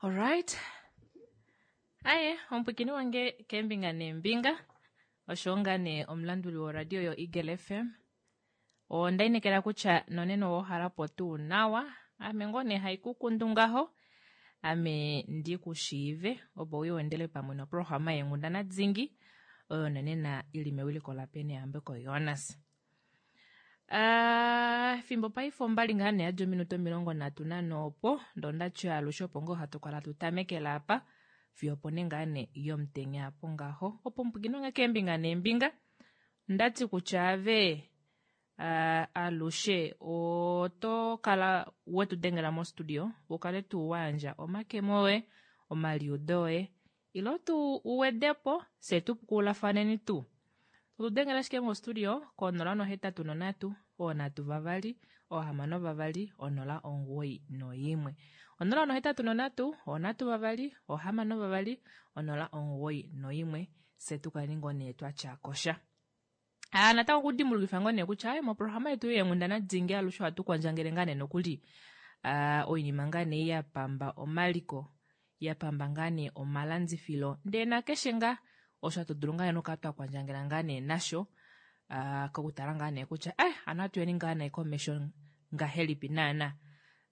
Alright. Aye, omupwikini wange keembinga neembinga osho ngaa nee omulanduli woradio yoEagle FM. Onda inekela kutya nonena owa uhala po tuu nawa. Ame ngoo nee haikukundu ngaho. Ame ndi ku shiive opo uye wendele pamwe noprograma yeenghundana dingi oyo nonena ili mewiliko laPenehambeko Jonas. Ah, efimbo paife ombali ngaa nee yadi ominute 34 opo ndoo ndati alushe opo ngoo hatu kala tu tamekela apa fiyo opo nee ngaa nee yomutenya apo ngaho opo mupwikino nge keembinga neembinga ndati kutya ave uh, alushe oto kala wetu dengela mostudio u kale tuu wa yandja omakemo oye omaliudo oye Ilo tu wede po, fye tu pukulafaneni tuu. Tu dengela ashike mostudio ko 083 3 6 2 091. 083 3 6 2 091 fye tu kale ngoo nee twa tya kosha. Ah, natango okudimbulukifa ngoo nee kutya aye moprograma yetu yeenghundana dingi alushe ohatu kwandjangele ngaa nee nokuli ah, oinima ngaa nee ya pamba omaliko ya pamba ngaa nee omalandifilo ndee nakeshe ngaa osho hatu dulu ngaa nee okukala twa kwandjangela ngaa nee nasho ah, kokutala ngaa nee kutya eh, ano ohatu yeni ngaa nee komesho ngahelipi naana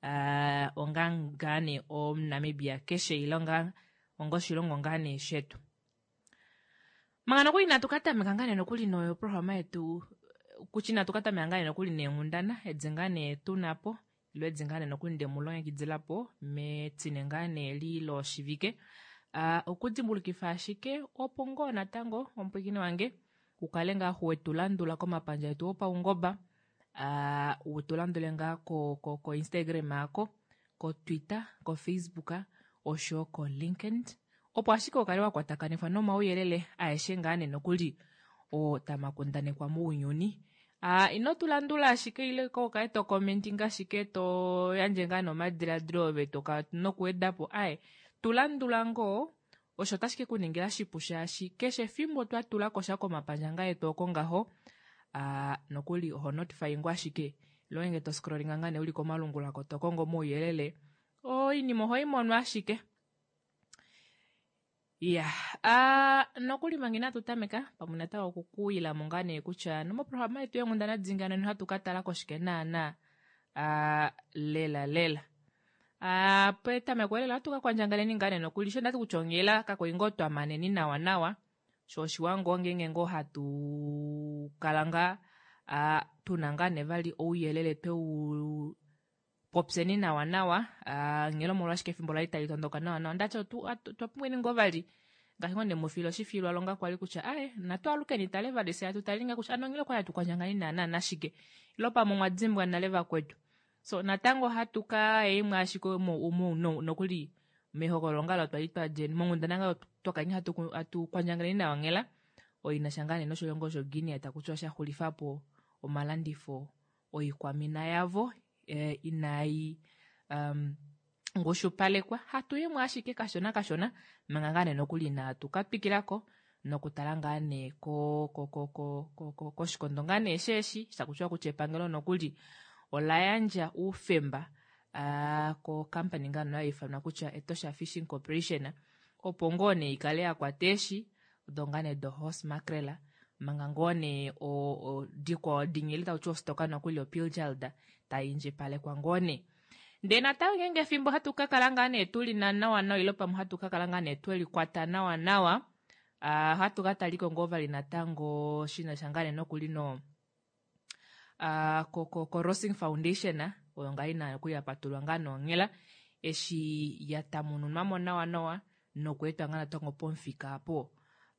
ah, onga ngaa nee omuNamibia keshe ile onga onga oshilongo ngaa nee shetu. Manga nokuli inatu ka tameka ngaa nee nokuli noprograma yetu kutya inatu ka tameka ngaa nee nokuli neenghundana edi ngaa nee tuna po ile edi ngaa nee nokuli ndemu longekidila po metine ngaa nee li loshivike uh, okudimbulukifa ashike opo ngoo natango omupwiikini wange u kale ngaa wetu landula komapandja etu opaungoba uh, u tu landule ngaa ko, ko, ko Instagram ako koTwitter, koFacebook oshoyo koLinkedIn opo ashike u kale wa kwatakanifwa nomauyelele aeshe ngaa nee nokuli oo tamakundanekwa mounyuni. Uh, ino tu landula ashike ile ko kale to commenting ashike to yandje ngaa nomadiladilo ove to kala nokuweda po aye tu landula ngoo osho otashi ke ku ningila shipu shaashi keshe efimbo twa tula ko sha komapandja ngaa etu oko ngaho uh, nokuli oho notify ngoo ashike ile ngeenge to scrollinga ngaa nee uli komalungula ko to kongo omauyelele oinima oho i mono ashike. Ya uh, nokuli manga inatu tameka pamwe natango okukuwila mo ngaa nee kutya nomoprograma yetu yeenghundana dingi nena ohatu ka tala koshike naana uh, lela lela. Uh, petameko lela ohatu ka kwandjangaleni ngaa nee nokuli sho ndati kutya onghela kakwali ngoo twa maneni nawa nawa sho oshiwa ngoo ngeenge ngoo hatu kala ngaa uh, tuna ngaa nee vali ouyelele twe u popyeni nawa nawa uh, nghela omolwashike efimbo lali tali tondoka nawa nawa ndati otwa pumbweni ngoo vali ngaashi ngoo ndemufila oshifilwa longa kwali kutya aye natu alukeni tale vali fye atu tali ngaa kutya ano nghela okwali hatu kwandjangani naana nashike ilo pamwe omwa dimbwa nale vakwetu so natango ohatu ka imwe ashike nokuli mehokololo ngalo twali twa djeni monghundana ngalo twa kala hatu hatu kwandjangeleni nawa nghela oina sha ngaa nee noshilongo shoGuinea taku tiwa sha xulifa po omalandifo oikwamina yavo eh, inai um, ngushupalekwa hatu yimwe ashike kashona kashona manga ngaa nee nokuli inaatu ka twikilako nokutala ngaa nee ko ko ko ko ko ko koshikondo ngaa nee sheeshi shakutiwa kutya epangelo nokuli ola yandja oufemba uh, ko company ngaa nee ifanwa kutya Etosha Fishing Corporation opo ngoo nee ikale ya kwata eeshi odo ngaa nee do horse mackerel manga ngoo nee dikwao dinyele taku tiwa ostoka nokuli opilchard tai indjipalekwa ngoo nee. Ndee natango ngeenge efimbo hatu ka kala ngaa nee tuli na nawa nawa ile pamwe hatu ka kala ngaa nee tweli kwata nawa nawa uh, ohatu ka taliko ngoo vali natango shina sha ngaa nee nokuli no uh, ko, ko, ko Rossing Foundation oyo ngaa ina nokuli ya patulwa ngaa nonghela eshi ya tamununwa mo nawa nawa nokweetwa ngaa natango pomufika apo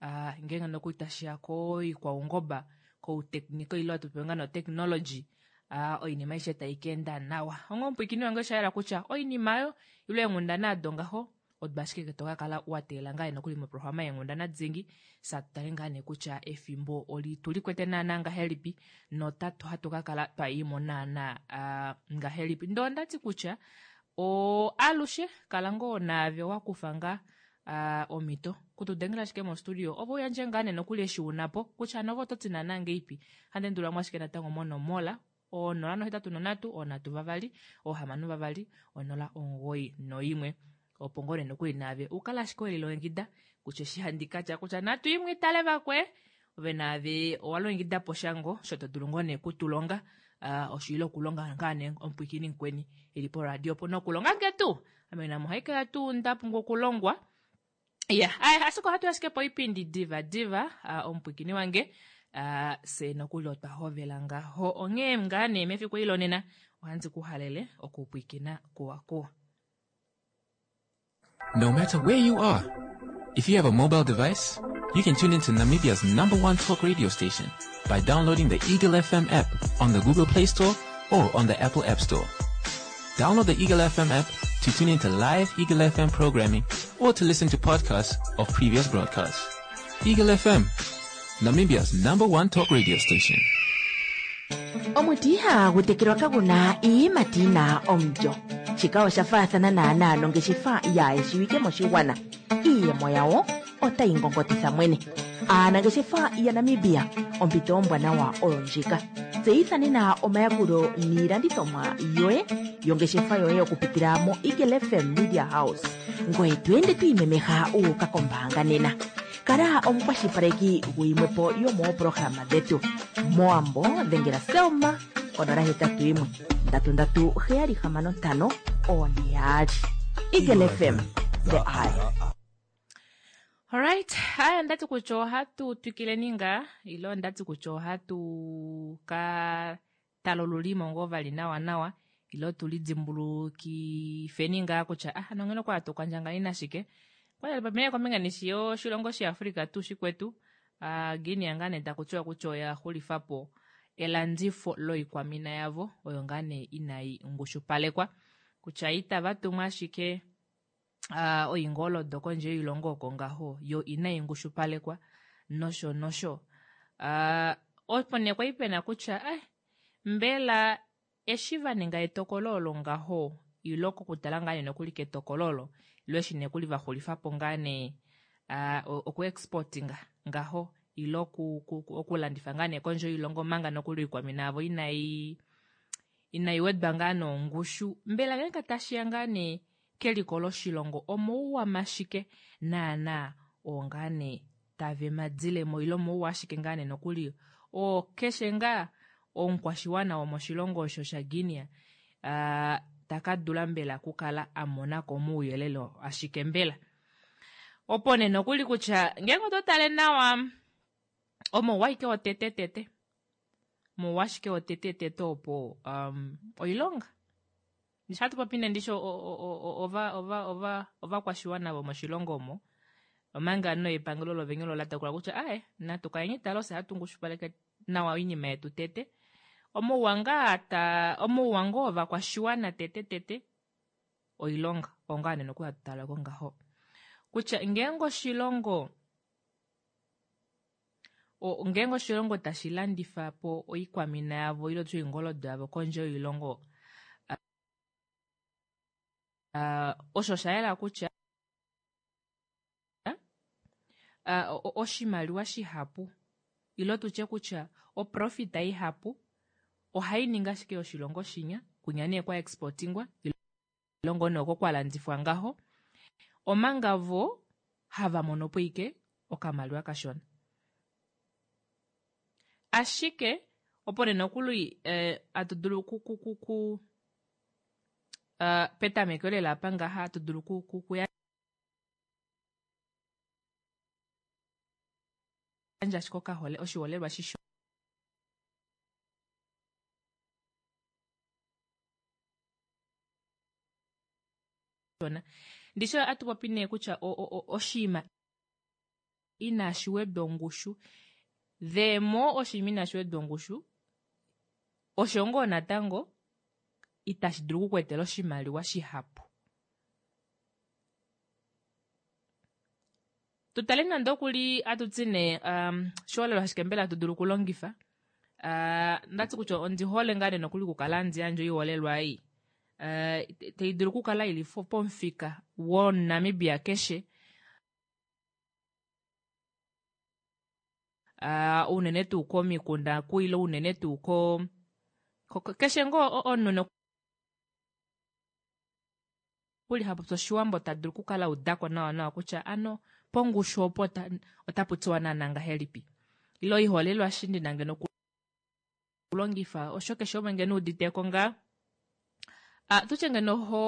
uh, ngeenge nokuli tashiya koikwaungoba kouteknika ile hatu pewe ngaa notechnology uh, oinima aishe tai ka enda nawa. Onghee omupwiikini wange osha yela kutya oinima oyo ile eenghundana ado ngaho odo ashike to ka kala wa teelela ngaa nokuli moprograma yeenghundana dingi sa tu tale ngaa nee kutya efimbo oli tu likwete naana ngahelipi notatu hatu ka kala twa imo naana uh, ngahelipi. Ndee onda ti kutya o alushe kala ngoo naave wa kufa ngaa uh, omhito kutudengela ashike mostudio ove uyandje ngaa nee nokuli eshi una po kutya nove oto ti naana ngeipi. Handi endulula mo ashike natango monomola 083 3 2 6 2 0 91. Opo ngoo nee nokuli naave u kale ashike we lilongekida kutya eshi handi ka tya kutya natu imwe itale vakwe, ove naave owa longekida po sha ngoo osho to dulu ngoo nee okutulonga uh, osho ile okulonga ngaa nee omupwiikini mukweni e li poradio opo nokulonga nge tuu ame namo ohai kala tuu nda pumbwa okulongwa ya yeah, ashike ohatu ashike poipindi diva diva uh, omupwiikini wange uh, se nokuli otwa hovela ngaho onghee ngaa nee mefiku eli lonena ohandi ku halele okupwiikina kuwa kuwa. No matter where you are, if you have a mobile device, you can tune into Namibia's number one talk radio station by downloading the Eagle FM app on the Google Play Store or on the Apple App Store. Download the Eagle FM app to tune into live Eagle FM programming or to listen to podcasts of previous broadcasts. Eagle FM, Namibia's number one talk radio station. Omuti ihagu tekelwa kagu na iiyimati yi na omulyo. Shika osha faathana naanaa nongeshefa yaayeshiwike moshigwana. Iiyemo yawo otayi ngongotitha mwene. Aanangeshefa yaNamibia, ompito ombwanawa oyo ndjika. Tseyitha nena omayakulo niilandithomwa yoye yongeshefa yoye okupitila moEagle FM Media House. Ngoye to ende to imemeha wu uka kombaanga nena. Kala omukwashilipaleki guyimwepo yomoopolohalama dhetu. Mowambo dhengela Selma konola 81 33 765 442. Eagle FM, the eye. Alright, haya ndati kutya ohatu twikileni ngaa ile ondati kutya ohatu ka tala olulimo ngoo vali nawa nawa ile otu lidimbulukifeni ngaa kutya ah nongeno kwa tu kwandjangani nashike kwali kombinga nishi yoshilongo shiAfrika tuu shikwetu uh, Guinea ngaa nee taku tiwa kutya oya xulifa po elandifo loikwamina yavo oyo ngaa nee inai ngushupalekwa kutya itava tumwa ashike uh, oingoldo kondje yoilongo oko ngaho yo inai ngushupalekwa nosho nosho uh, opo nee kwali pena kutya eh, mbela eshi va ninga etokolo olo ngaho ilo kokutala ngaa nee nokuli ketokolo olo ilo eshi nekuli va xulifa po ngaa nee uh, okuexportinga ngaho ilo okulandifa ngaa nee kondje yoilongo manga nokuli oikwamina yavo inai inai wedwa ngaa nongushu mbela ngeenge tashiya ngaa nee keliko loshilongo omouwa mashike naana oo ngaa nee tave madilemo ile omouwa ashike ngaa nee nokuli oo keshe ngaa omukwashiwana womoshilongo osho shaGuinea uh, taka dula mbela okukala a mona ko mouyelele ashike mbela opo nee nokuli kutya ngeenge oto tale nawa omouwa ashike wotetetete omouwa ashike wotetetete opo um, oilonga Ndishi hatu popi nee ndishi ovakwashiwana vomoshilongo omo omanga no epangelo lovenye olo la tokola kutya ae natu kaleni tale ofye hatu ngushupaleke nawa oinima yetu tete omouwa ngaa ta omouwa ngoo ovakwashiwana tete tete oilonga ongaa nee nokuli hatu tala ko ngaho kutya ngeenge oshilongo ngeenge oshilongo tashi landifa po oikwamina yavo ile tuu oingoldo yavo kondje yoilongo osho osha yela kutya oshimaliwa shihapu ile tutye kutya oprofita ihapu ohai ningi ashike yoshilongo shinya kunya nee kwa exportingwa ile ngoo nee oko kwa landifwa ngaho omanga vo hava mono po ike okamaliwa kashona. Ashike opo nee nokuli eh, atu dulu ku, ku, ku, ku uh, petameko lela apa ngaha atu dulu ku, ku, ku yandja ashike okahole oshiholelwa shishona Ndishi ohatu popi nee kutya oshinima inashi wedwa ongushu the more oshinima inashi wedwa ongushu osho ngoo natango itashi dulu oku ku etela oshimaliwa shihapu. Tu tale nande okuli atu ti nee um, oshiholelwa ashike mbela hatu dulu okulongifa uh, ndati kutya ondi hole ngaa nee nokuli okukala handi yandje oiholelwa ei uh, tai dulu okukala ili pomufika womuNamibia keshe uh, unene tuu komikunda kuile unene tuu ko, ko keshe ngoo omunhu. nokuli ha popi Oshiwambo ta dulu okukala a udako nawa nawa kutya ano pongushu opo otapu tiwa naana ngahelipi. Ile oiholelwa eshi ndi na ngeno okulongifa osho keshe umwe ngeno uditeko ngaa. Ah, tutye ngeno ho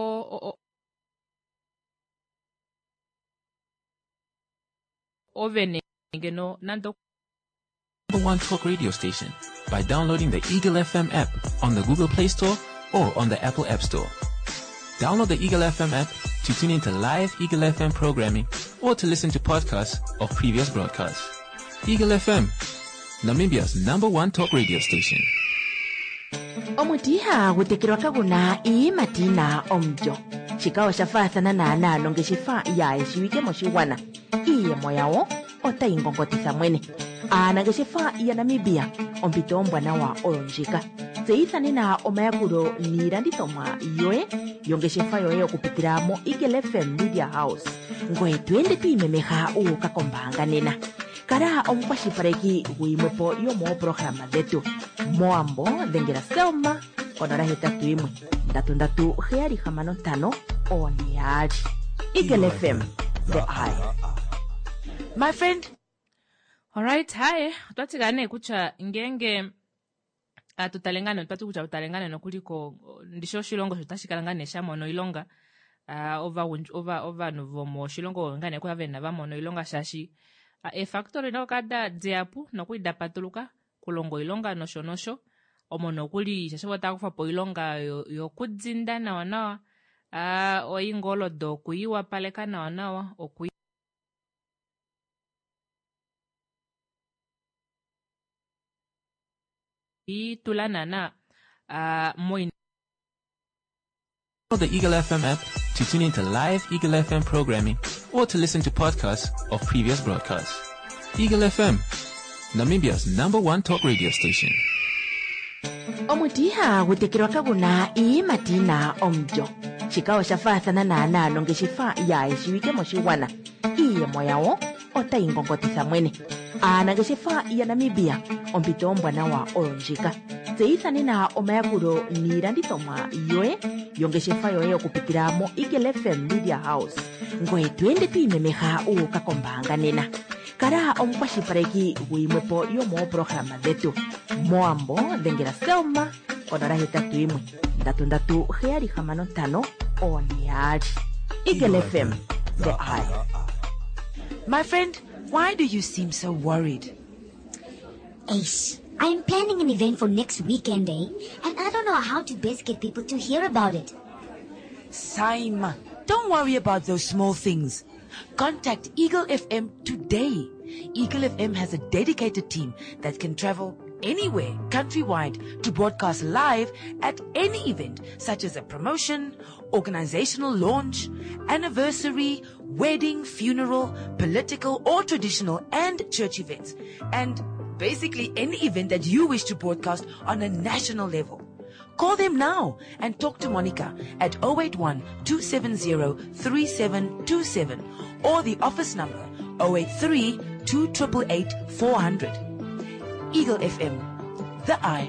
ove nee ngeno nande Number one talk radio station by downloading the Eagle FM app on the Google Play Store or on the Apple App Store. Download the Eagle FM app to tune into live Eagle FM programming or to listen to podcasts of previous broadcasts. Eagle FM, Namibia's number one talk radio station. Omuti ihagu tekelwa kagu na iiyimati yi na omulyo. Shika osha faathana naanaa nongeshefa yaayeshiwike moshigwana. Iiyemo yawo otayi ngongotitha mwene. Aanangeshefa yaNamibia, ompito ombwanawa oyo ndjika. Tseyitha nena omayakulo niilandithomwa yoye yongeshefa yoye okupitila moEagle FM Media House. Ngoye to ende to imemeha wu uka kombaanga nena. Kala omukwashilipaleki guyimwepo yomooprograma dhetu. Mowambo dhengela Selma konola 81 33 765 442. Eagle FM, the eye. My friend, Alright, haye otwa tika nee kutya ngeenge atu tale ngaa nee otwa ti kutya otale ngaa nee nokuli ko ndishi oshilongo sho tashi kala ngaa nee sha mona oilonga ah, ovagundj- ova- ovanhu vomoshilongo ngaa nee kwa vena va mona oilonga shaashi ah, eefactory noka da dihapu nokuli da patuluka kulonga oilonga nosho nosho omo nokuli shaashi vo otava kufa po oilonga yokudinda nawa nawa ah, oingoldo okuiwapaleka nawa nawa oku tula naana ah, moinima Download the Eagle FM app to tune into live Eagle FM programming or to listen to podcasts of previous broadcasts. Eagle FM, Namibia's number one talk radio station. Omuti ihagu tekelwa kagu na iiyimati yi na omulyo. Shika osha faathana naanaa nongeshefa yaayeshiwike moshigwana. Iiyemo yawo otayi ngongotitha mwene. Aanangeshefa yaNamibia, ompito ombwanawa oyo ndjika. Tseyitha nena omayakulo niilandithomwa yoye yongeshefa yoye okupitila moEagle FM Media House. Ngoye to ende to imemeha wu uka kombaanga nena. Kala omukwashilipaleki guyimwepo yomooprograma dhetu. Mowambo dhengela Selma konola 81 33 765 442. Eagle FM, the eye. My friend, why do you seem so worried? Eish, I'm planning an event for next weekend, eh? And I don't know how to best get people to hear about it. Saima, don't worry about those small things. Contact Eagle FM today. Eagle FM has a dedicated team that can travel anywhere countrywide to broadcast live at any event such as a promotion, organizational launch, anniversary, wedding, funeral, political or traditional and church events. And basically any event that you wish to broadcast on a national level. Call them now and talk to Monica at 081 270 3727 or the office number 083 288 400. Eagle FM, the eye.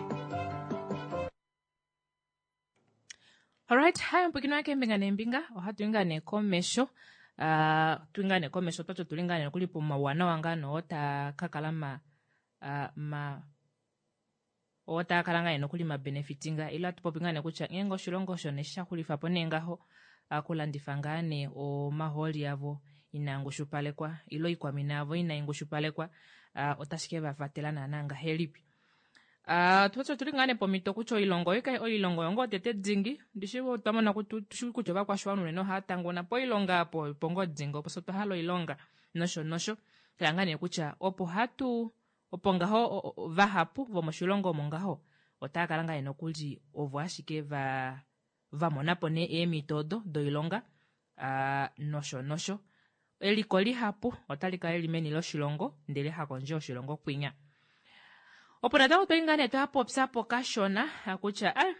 Alright, hi mpwikino wake mbinga nembinga ohatu inga nee komesho uh, tu inga nee komesho twatyo tuli ngaa nee nokuli pomauwanawa ngaa noo taa ka kala ma, uh, ma oo taa kala ngaa nee nokuli ma benefitinga ile atu popi ngaa nee kutya ngeenge oshilongo osho nee sha xulifa po nee ngaho okulandifa ngaa nee omahooli avo inaa ngushupalekwa ile oikwamina yavo inai ngushupalekwa uh, otashi ke va vatela naana ngahelipi. Uh, tu tuli ngaa nee pomhito kutya oilongo oilongo oyo ngoo tete dingi ndishi otwa mona tushi kutya ovakwashiwana unene ohava tanguna poilonga apo opo ngoo dingi opo fye otwa hala oilonga nosho nosho tala ngaa nee kutya opo hatu opo ngaho vahapu vomoshilongo omo ngaho otava kala ngaa nee nokuli ovo ashike va va mona po nee eemhito odo doilonga uh, nosho nosho eliko lihapu otali kala lili meni loshilongo ndele hakondje yoshilongo kwinya. Opo natango twali ngaa nee twapopya po kashona kutya ah,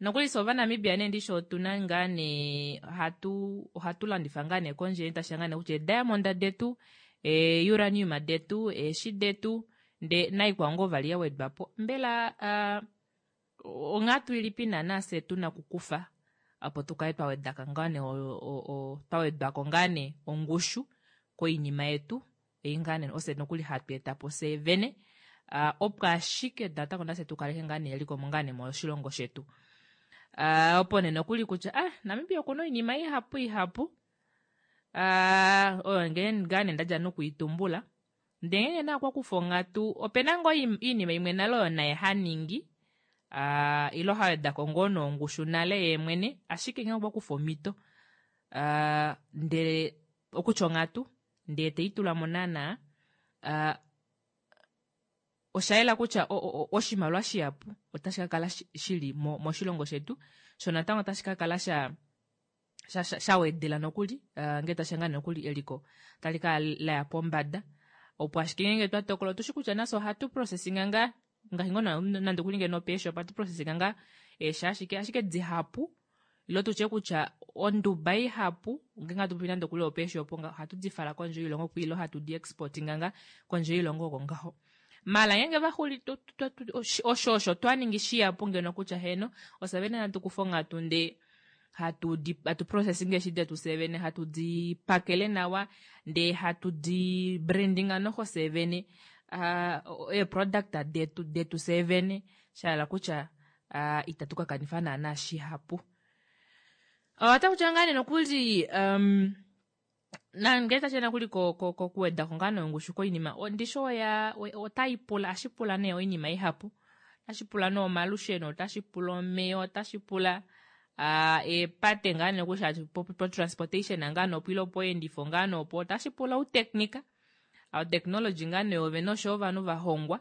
nokuli fye Ovanamibia nee ndishi otuna ngaa nee ohatu ohatu landifa ngaa nee kondje tashiya ngaa nee kutya eediamond detu eeuranium detu eeshi detu nde naikwao ngoo vali ya wedwa po mbela uh, onghatu ilipi naana fye tuna okukufa. Opo tukale twa wedaka ngaa nee twa wedwako ngaa nee ongushu koinima yetu ei ngaa nee ofye nokuli hatu etapo fyee vene opo ashike natango nafye tukaleke ngaa nee eliko ngaa nee moshilongo shetu. Opo nee nokuli kutya ah Namibia okuna oinima ihapu ihapu oyo ngaa nee ndadja nokuitumbula ndee ngeenge nee okwakufa onghatu opena ngoo oinima imwe nale oyo naye haningi ile hawedako ngoo nongushu nale yeemwene ashike ngenge okwakufa omito ndele okutya onghatu ndee teitulamo naana oshayela kutya oshimaliwa shihapu otashi kakala shili moshilongo shetu shoo natango otashi kakala sha shawedela nokuli ngee tashiya ngaa nokuli eliko otali kala laya pombada opo ashike ngeenge twa tokola otushi kutya nafye ohatu processinga ngaa ngaashi ngoo nande okuli ngeno peeshop ohatu processinga ngaa eeshi ashike ashike dihapu ile tutye kutya onduba ihapu ngeenge hatu popi nande okuli opeeshop ohatu di fala kondje yoilongo ile hatu di exportinga ngaa kondje yoilongo oko ngaho. Maala ngeenge vaxuli osho osho twa ningi shihapu ngeno kutya heeno ofye vene hatu kufa onghatu ndee hatu di hatu processing eeshi detu fye vene hatu di pakele nawa ndee hatu di brandinga noxo fye vene eeproduct detu detu fye vene shahala kutya itatu ka kanifa naana shihapu. Otakutya ngaa nee nokuli um, nangee tashiya nokuli kokuweda ko ngaa nee ongushu koinima ndishi oya otai pula ohashi pula nee oinima ihapu otashi pula nee omalusheno otashi pula omeya otashi pula eepate ngaa nee kutya po transportation ngaa nee opo ile opoendifo ngaa nee opo otashi pula outeknika outechnology ngaa nee ove nosho ovanhu va hongwa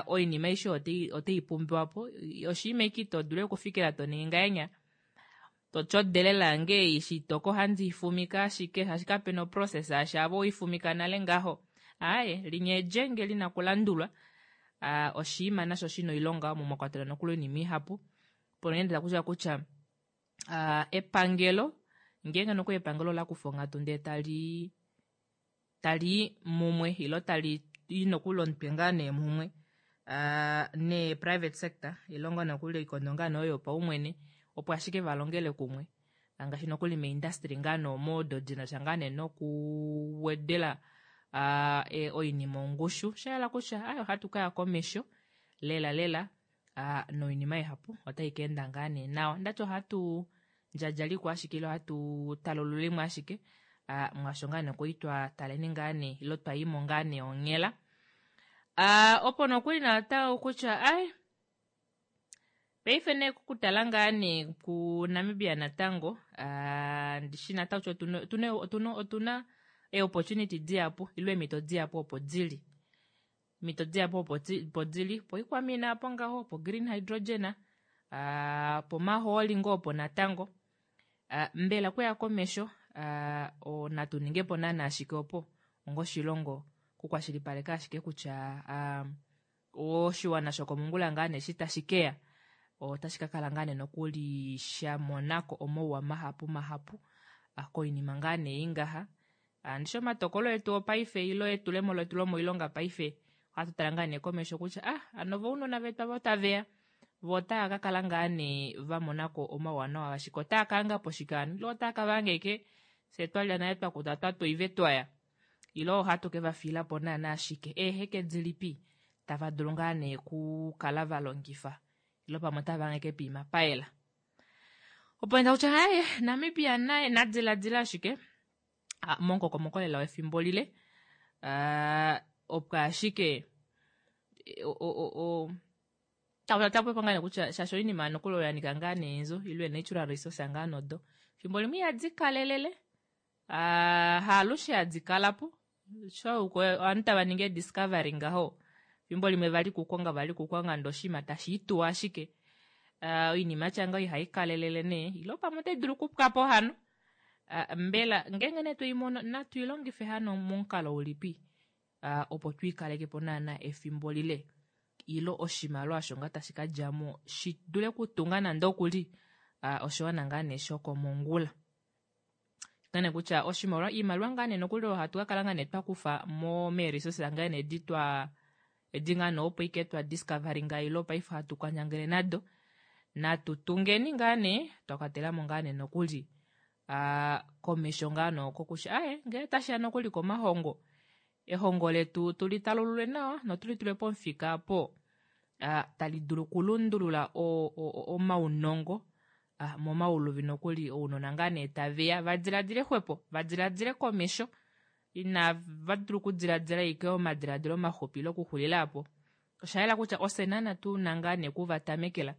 oinima aishe otai pumbiwa po oshinima eke ito dulu okufikila to ningi ngahenya Totyodelela nge ei shitoko ohandi i fumika ashike shaashi kapena oprocess shaashi ava owei fumika nale ngaho. Aaye, linya elyenge lina okulandulwa. Oshiima nasho shina oilonga omo mwa kwatelwa nokuli oinima ihapu. Mpono nee nda kutya kutya epangelo ngeenge nokuli epangelo ola kufa onghatu ndee tali tali i mumwe ilo tali i nokuli omutwe ngaa nee mumwe nee private sector ilo ngaa nokuli oikondo ngaa nee oyo yopaumwene opo ashike va longele kumwe ngaashi nokuli meeindustry ngaa nee omo odo di na sha ngaa nee nokuwedela oinima ongushu sha yela kutya ai ohatu ka ya komesho lela lela noinima ihapu otai ka enda ngaa nee nawa ndati ohatu ndjadjaliko ashike ile ohatu talululimo ashike mwaasho ngaa nee kwali twa taleni ngaa nee ile twa yimo ngaa nee onghela opo nokuli natango kutya ai paife nee kokutala ngaa nee kuNamibia natango ndishi natango kutya otuna otuna otuna eeopportunity dihapu ile eemhito dihapu opo dili Omito dihapu opo opo dili poikwamina apo ngaho, po green hydrogen, pomahooli ngoo opo natango. Mbela okuya komesho natu ninge po naana shike opo onga oshilongo kukwashilipaleka ashike kutya oshiwana shokomongula ngaa nee eshi tashi keya otashi ka kala ngaa nee nokuli sha monako omauwa mahapu mahapu koinima ngaa nee ei ngaha. Ndishi omatokolo etu opaife ilo etulemo letu lomoilonga paife ohatu tala ngaa nee komesho kutya ah hano vo ounona vetu ava otaveya vo otava ka kala ngaa nee va monako omauwanawa ashike otava ka hanga po shike hano ile otava ka vanga ashike fye twalya nale twakuta twatoive twaya ile ohatu ke va fiila po naana ashike eeheke dilipi tava dulu ngaa nee kukala va longifa ile pamwe otava hange poima payela opo nda kutya haye Namibia naye na diladila ashike momukokomoko lela wefimbo lile opo ashike tapopi ngaa nee kutya shaashi oinima nokuli oyo ya nika ngaa nee eenzo ile natural resource ngaa nodo fimbo limwe ihadi kalelele haalushe hadi kala po sho ovanhu tava ningi ediscovery ngaho fimbo limwe vali kukonga vali kukonga ndee oshinima tashi ituwa ashike oinima yatya ngaho ihai kalelele nee ile pamwe otai dulu okupwa po hano mbela ngeenge nee twei mono natu i longife hano momukalo ulipi opo tu i kaleke po naana efimbo lile ile oshimaliwa osho ngaa tashi ka dja mo shi dule okutunga nande okuli oshiwana ngaa nee shokomongula. Ngaa kutya oshimaliwa iimaliwa ngaa nee nokuli oyo hatu ka kala ngaa nee twa kufa mo meeresources ngaa nee edi twa edi ngaa nee opo ike twa discoveringa ile paife hatu kwanyangele nado. Natu tungeni ngaa nee twa kwatela mo ngaa nee nokuli komesho ngaa nooko kutya aye ngele tashiya nokuli komahongo ehongo letu tuli talulule nawa notuli tule pomufika opo tali dulu okulundulula omaunongo momauluvi nokuli ounona ngaa nee taveya va diladile xwepo va diladile komesho inava dula okudiladila ashike omadiladilo maxupi ile okuxulila aapo. Osha yela kutya ofye naana tuna ngaa nee okuvatamekela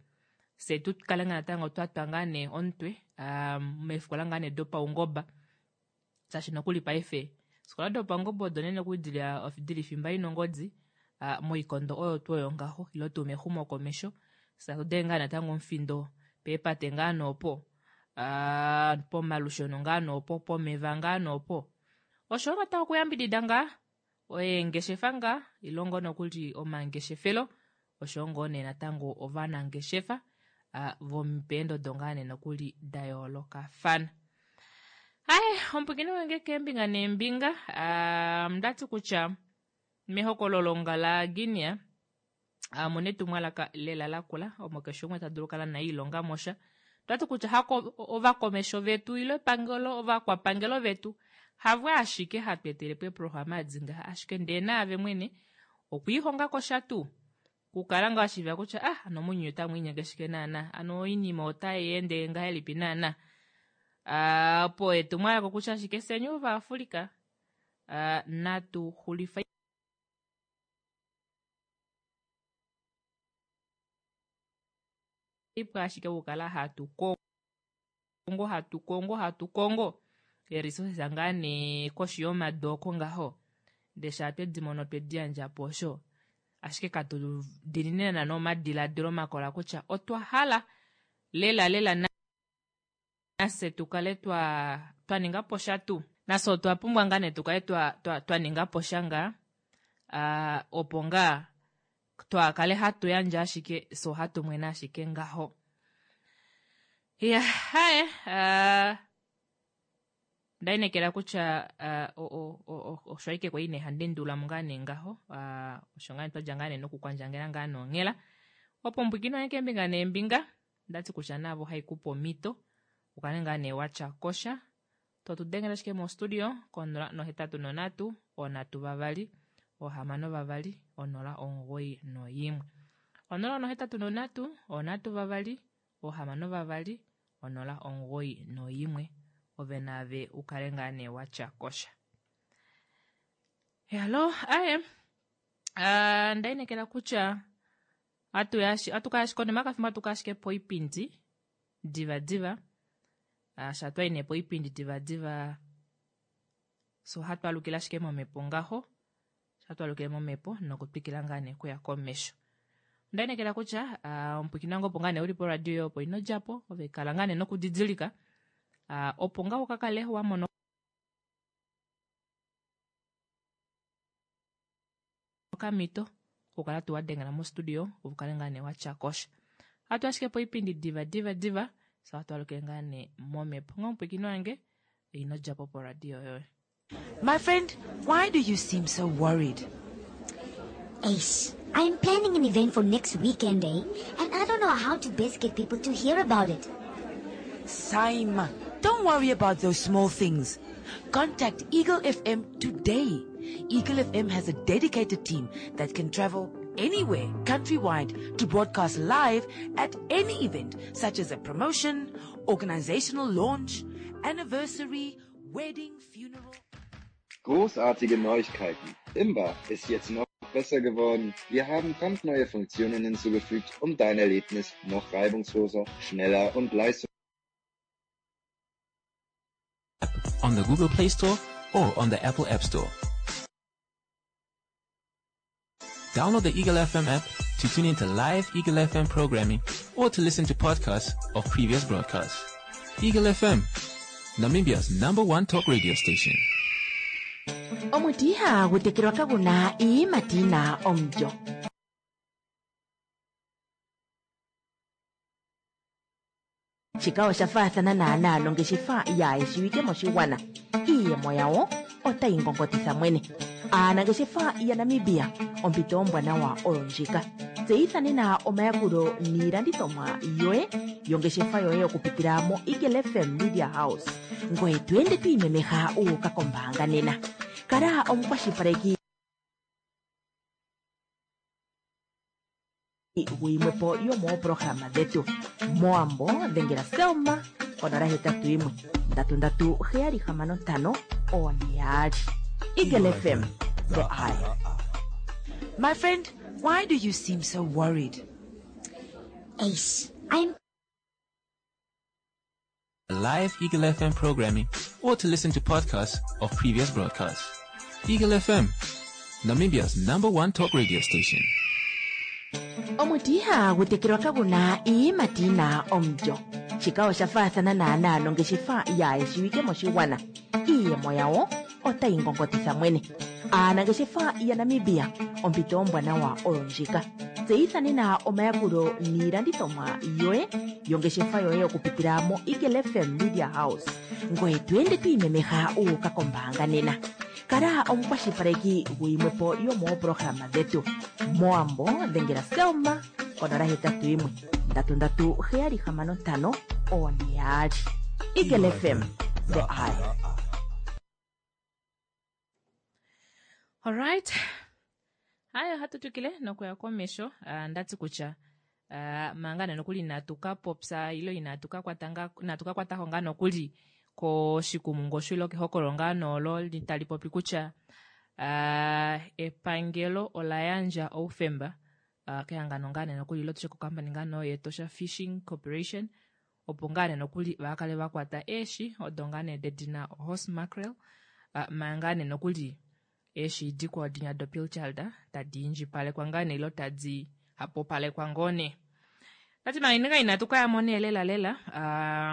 fye tu kale ngaa natango twa twa ngaa nee omutwe meefikola ngaa nee dopaungoba shaashi nokuli paife eefikola dopaungoba odo unene nokuli dili fimba ina ongodi moikondo oyo tuu oyo ngaho ile tuu mexumokomesho fye atu denge ngaa natango omufindo peepate ngaa noopo pomalusheno ngaa noopo pomeva ngaa noopo oshoyo natango okuyambidida ngaa eengeshefa ngaa ile ngoo nokuli omangeshefelo oshoyo ngoo nee natango ovanangeshefa vopeendodo ngaa nee nokuli da yoolokafana. Aye omupwiikini wange keembinga neembinga ondati kutya mehokololo la Guinea omuna etumwalaka lela lakula omo keshe umwe ta dulu okukala naye ilonga mosha. Otwati kutya hako ovakomesho vetu ile epangelo ovakwapangelo vetu havo ashike hatu etelepo eeprograma edi ngaha ashike ndee naave mwene okwiihonga kosha tuu kukala ngaa washiiva kutya ah ano mounyuni otamu linyenge shike naana ano oinima otai ende ngahelipi naana opo etumwalaka okutya ashike fyeni ovaAfrica natu xulifa ipo ashike okukala hatu kongo hatu kongo hatu kongo eresources ngaa nee koshi yomadu oko ngaho ndee shaa twedi mono twedi yandja po osho ashike katu dinine naana omadiladilo makola kutya otwa hala lela lela nafye tu kale twa twa ninga po sha tuu. Nafye otwa pumbwa ngaa nee tu kale twa twa twa ninga po sha ngaa opo ngaa twaa kale hatu yandje ashike fye ohatu mwene ashike ngaho. Iya haye onda inekela kutya osho ashike kwali nee handi endulula mo ngaa nee ngaho osho ngaa nee twadja ngaa nee nokukwandjangela ngaa nonghela opo mbwikino wange keembinga neembinga Ondati kutya naave ohai kupe omhito ukale ngaa nee watya kosha to tu dengele ashike mo studio ko 083 3 6 2 091 083 3 6 2 091 ove naave ukale ngaa nee watya kosha. Halo, aye. Onda inekela kutya atu ka konima yokafimbo atu ka ashike poipindi divadiva sha twayi nee poipindi divadiva so ohatu alukile ashike momhepo ngaho sha twalukile momhepo nokutwikila ngaa nee okuya komesho. Onda inekela kutya omupwiikini wange opo ngaa nee uli poradio yoye opo ino djapo ove kala ngaa nee nokudidilika opo ngaa ukakale wa mona okamhito okukala tuu wa dengela mostudio ove ukale ngaa nee watya kosha. Ohatu ashike poipindi diva diva diva fye ohatu alukile ngaa nee momhepo. Onghee omupwiikini wange ino djapo poradio yoye. My friend, why do you seem so worried? Eish, I'm planning an event for next weekend, eh? And I don't know how to best get people to hear about it. Saima, don't worry about those small things. Contact Eagle FM today. Eagle FM has a dedicated team that can travel anywhere countrywide to broadcast live at any event, such as a promotion, organizational launch, anniversary, wedding, funeral. Großartige Neuigkeiten. Imba ist jetzt noch besser geworden. Wir haben brandneue Funktionen hinzugefügt, um dein Erlebnis noch reibungsloser, schneller und leistungsfähiger on the Google Play Store or on the Apple App Store. Download the Eagle FM app to tune into live Eagle FM programming or to listen to podcasts of previous broadcasts. Eagle FM, Namibia's number one talk radio station. Omuti ihagu tekelwa kagu na iiyimati yi na omulyo. Shika osha faathana naanaa nongeshefa yaayeshiwike moshigwana, iiyemo yawo otayi ngongotitha mwene. Aanangeshefa yaNamibia, ompito ombwanawa oyo ndjika. Tseyitha nena omayakulo niilandithomwa yoye yongeshefa yoye okupitila mo Eagle FM Media House. Ngoye to ende to imemeha wu uka kombaanga nena. Kala omukwashilipaleki guyimwepo yomooprograma dhetu. Mowambo dhengela Selma konola hetatu yimwe ndatu ndatu heyali hamano ntano one yaali. Eagle FM, the eye. My friend, why do you seem so worried? Ace, I'm Live Eagle FM programming or to listen to podcasts of previous broadcasts. Eagle FM, Namibia's number one talk radio station. Omuti ihagu tekelwa kagu na iiyimati yi na omulyo. Shika osha faathana naanaa nongeshefa yaa shiwike moshigwana. Iiyemo yawo otayi ngongotitha mwene. Aanangeshefa yaNamibia, ompito ombwanawa oyo ndjika. Tseyitha nena omayakulo niilandithomwa yoye yongeshefa yoye okupitila mo Eagle FM Media House. Ngoye to ende to imemeha wu uka kombaanga nena. Kala omukwashilipaleki guyimwepo yomooprograma dhetu. Mowambo dhengela Selma konola hetatu yimwe ndatu ndatu heyali hamano ntano one yaali. Eagle FM, the eye. Alright. Haya ohatu twikile nokuya komesho. Uh, ndati kutya uh, manga nokuli inatu ka popya ilo inatu ka kwata nga inatu ka kwatako ngaa nokuli koshikumungu osho ilo kehokololo ngaa noolo tali popi kutya uh, epangelo ola yandja oufemba uh, kehangano ngaa nee nokuli ilo tushe kokampani ngaa noo yEtosha Fishing Corporation opo ngaa nee nokuli va kale va kwata eeshi odo ngaa nee dedina horse mackerel uh, manga ngaa nee nokuli eeshi dikwao dinya dopilchard tadi indjipalekwa ngaa nee ilo tadi hapupalekwa ngoo nee. Tati manga inga inatu kaya mo nee lela lela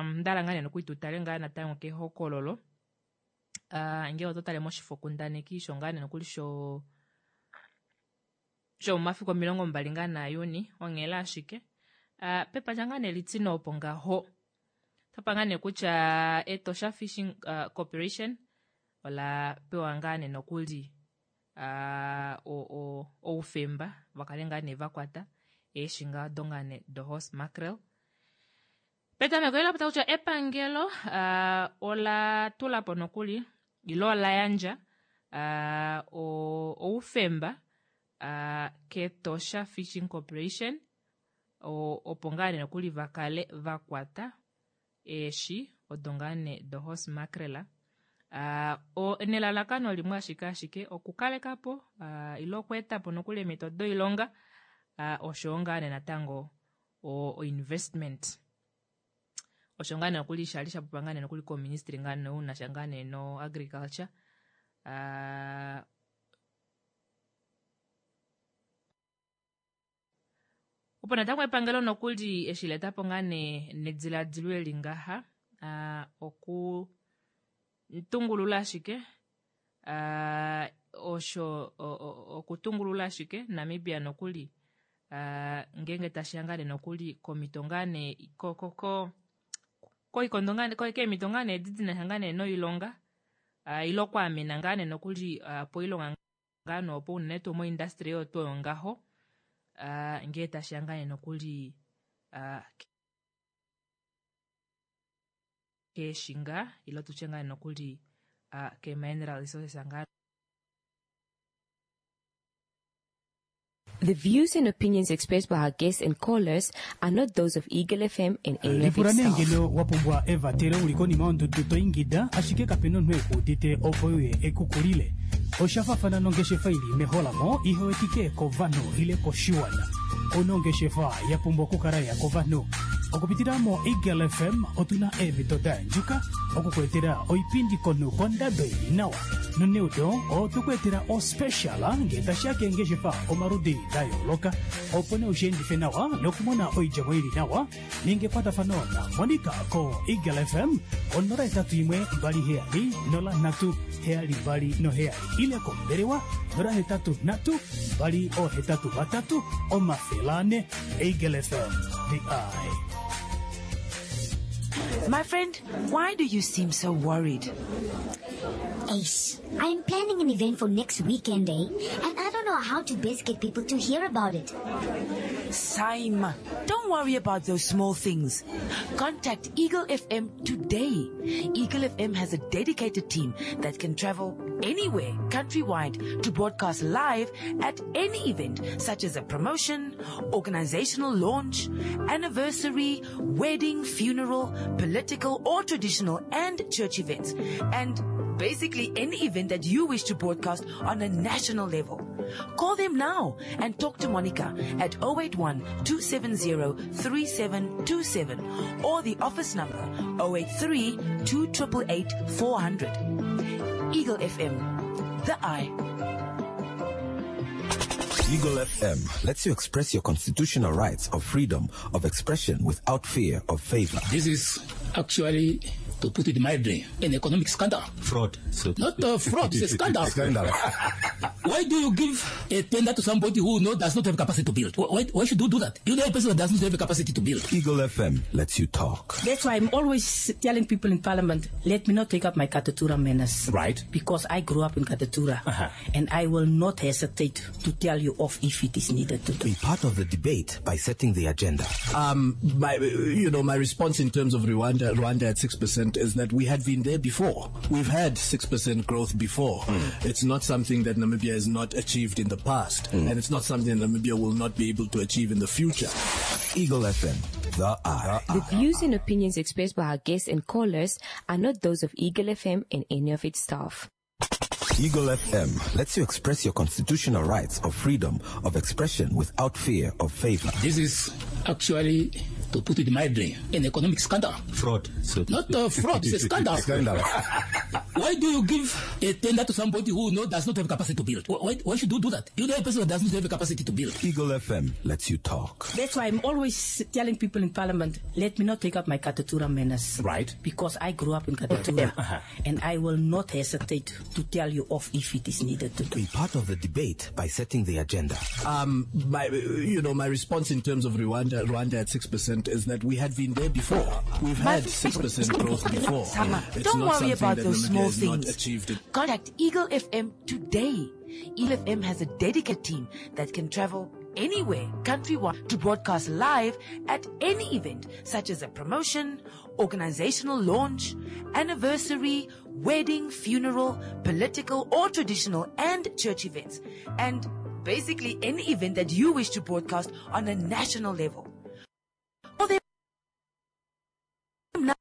ndala ngaa nee nokuli tu tale ngaa natango kehokololo uh, ngee oto tale moshifokundaneki sho ngaa nee nokuli sho shomomafiku 20 ngaa naJuni onghela ashike uh, pepandja ngaa nee litine opo ngaho tapa ngaa nee kutya Etosha Fishing uh, Corporation ola pewa ngaa nee nokuli uh, oufemba vakale ngaa nee vakwata eeshi ngaa odo ngaa nee do horse mackerel. Petameko ela pota kutya epangelo uh, ola tula po nokuli ilo ola yandja uh, oufemba uh, kEtosha Fishing Corporation opo ngaa nee nokuli vakale vakwata eeshi odo ngaa nee do horse mackerel uh, nelalakano limwe ashike ashike okukaleka po uh, ilo okweeta po nokuli eemhito doilonga uh, oshowo ngaa nee natango o investment osho ngaa nee nokuli shali sha popiwa ngaa nee nokuli koministry ngaa nee unasha ngaa nee no agriculture uh, opo natango epangelo nokuli eshi la etapo ngaa nee nediladilo eli ngaha uh, oku tungulula ashike uh, osho okutungulula ashike Namibia nokuli uh, ngeenge tashiya ngaa nee nokuli komito ngaa nee ko ko ko koikondo ngaa keemito ngaa nee edi dinasha ngaa nee noilonga uh, ile okwaamena ngaa nee nokuli uh, poilonga ngaa nee opo unene tuu moindustry oyo tuu oyo ngaho uh, ngee tashiya ngaa nee nokuli uh, keeshi ngaa ile tutye ngaa nokuli uh, ke-mineral resources ngaa The views and opinions expressed by our guests and callers are not those of Eagle FM and any of Lipula its nee staff. ngeno wa pumbwa evatelo uli konima yondudu to ingida ashike kape na omunhu eku udite opo uye ekukulile. Osha fafana nongeshefa ili meholamo ihe wetike kovanhu ile koshiwana. Ouna ongeshefa ya pumbwa okukala ya kovanhu. Okupitila mo Eagle FM otuna eemhito da yandjuka okukuetela oipindi komunhu kondado ili nawa. Noneudo otukuetela ospecial ngee tashiya keengeshefa omaludi da yooloka opo nee ushiendife nawa nokumona oidjemo ili nawa. Ninga ekwatafano na Monica ko Eagle FM 081 27 03 72 ile kombelewa 083 283 400. Eagle FM, the eye. My friend, why do you seem so worried? Ace, I'm planning an event for next weekend, eh? And I don't know know how to best get people to hear about it. Saima, don't worry about those small things. Contact Eagle FM today. Eagle FM has a dedicated team that can travel anywhere countrywide to broadcast live at any event such as a promotion, organizational launch, anniversary, wedding, funeral, political or traditional and church events. And basically any event that you wish to broadcast on a national level. Call them now and talk to Monica at 081 270 3727 or the office number 083 288 400. Eagle FM, the eye. Eagle FM lets you express your constitutional rights of freedom of expression without fear of favor. This is actually, to put it mildly, an economic scandal. Fraud. So Not a fraud, it's a scandal. Scandal. Why do you give a tender to somebody who does not have capacity to build? Why should you do that? You know a person that does not have the capacity to build. Eagle FM lets you talk. That's why I'm always telling people in Parliament, let me not take up my Katutura manners. Right. Because I grew up in Katutura. And I will not hesitate to tell you off if it is needed to do. Be part of the debate by setting the agenda. My response in terms of Rwanda at 6% is that we had been there before. We've had 6% growth before. It's not something that Namibia has not achieved in the past, and it's not something that Namibia will not be able to achieve in the future. Eagle FM, the eye. The views and opinions expressed by our guests and callers are not those of Eagle FM and any of its staff. Eagle FM lets you express your constitutional rights of freedom of expression without fear of favor. This is actually, to put it mildly, an economic scandal. Fraud. So Not a fraud, it's a scandal. Scandal. Why do you give a tender to somebody who does not have capacity to build? Why should you do that? You know a person that does not have the capacity to build. Eagle FM lets you talk. That's why I'm always telling people in Parliament, let me not take up my Katutura manners. Right. Because I grew up in Katutura. And I will not hesitate to tell you off if it is needed to do. Be part of the debate by setting the agenda. My response in terms of Rwanda at 6% is that we had been there before. We've had 6% growth before. Sama, It's don't not worry something about that those Namibia small has not things. achieved it. Contact Eagle FM today. Eagle FM has a dedicated team that can travel anywhere countrywide to broadcast live at any event such as a promotion, organizational launch, anniversary, wedding, funeral, political or traditional and church events, and basically any event that you wish to broadcast on a national level. Call them now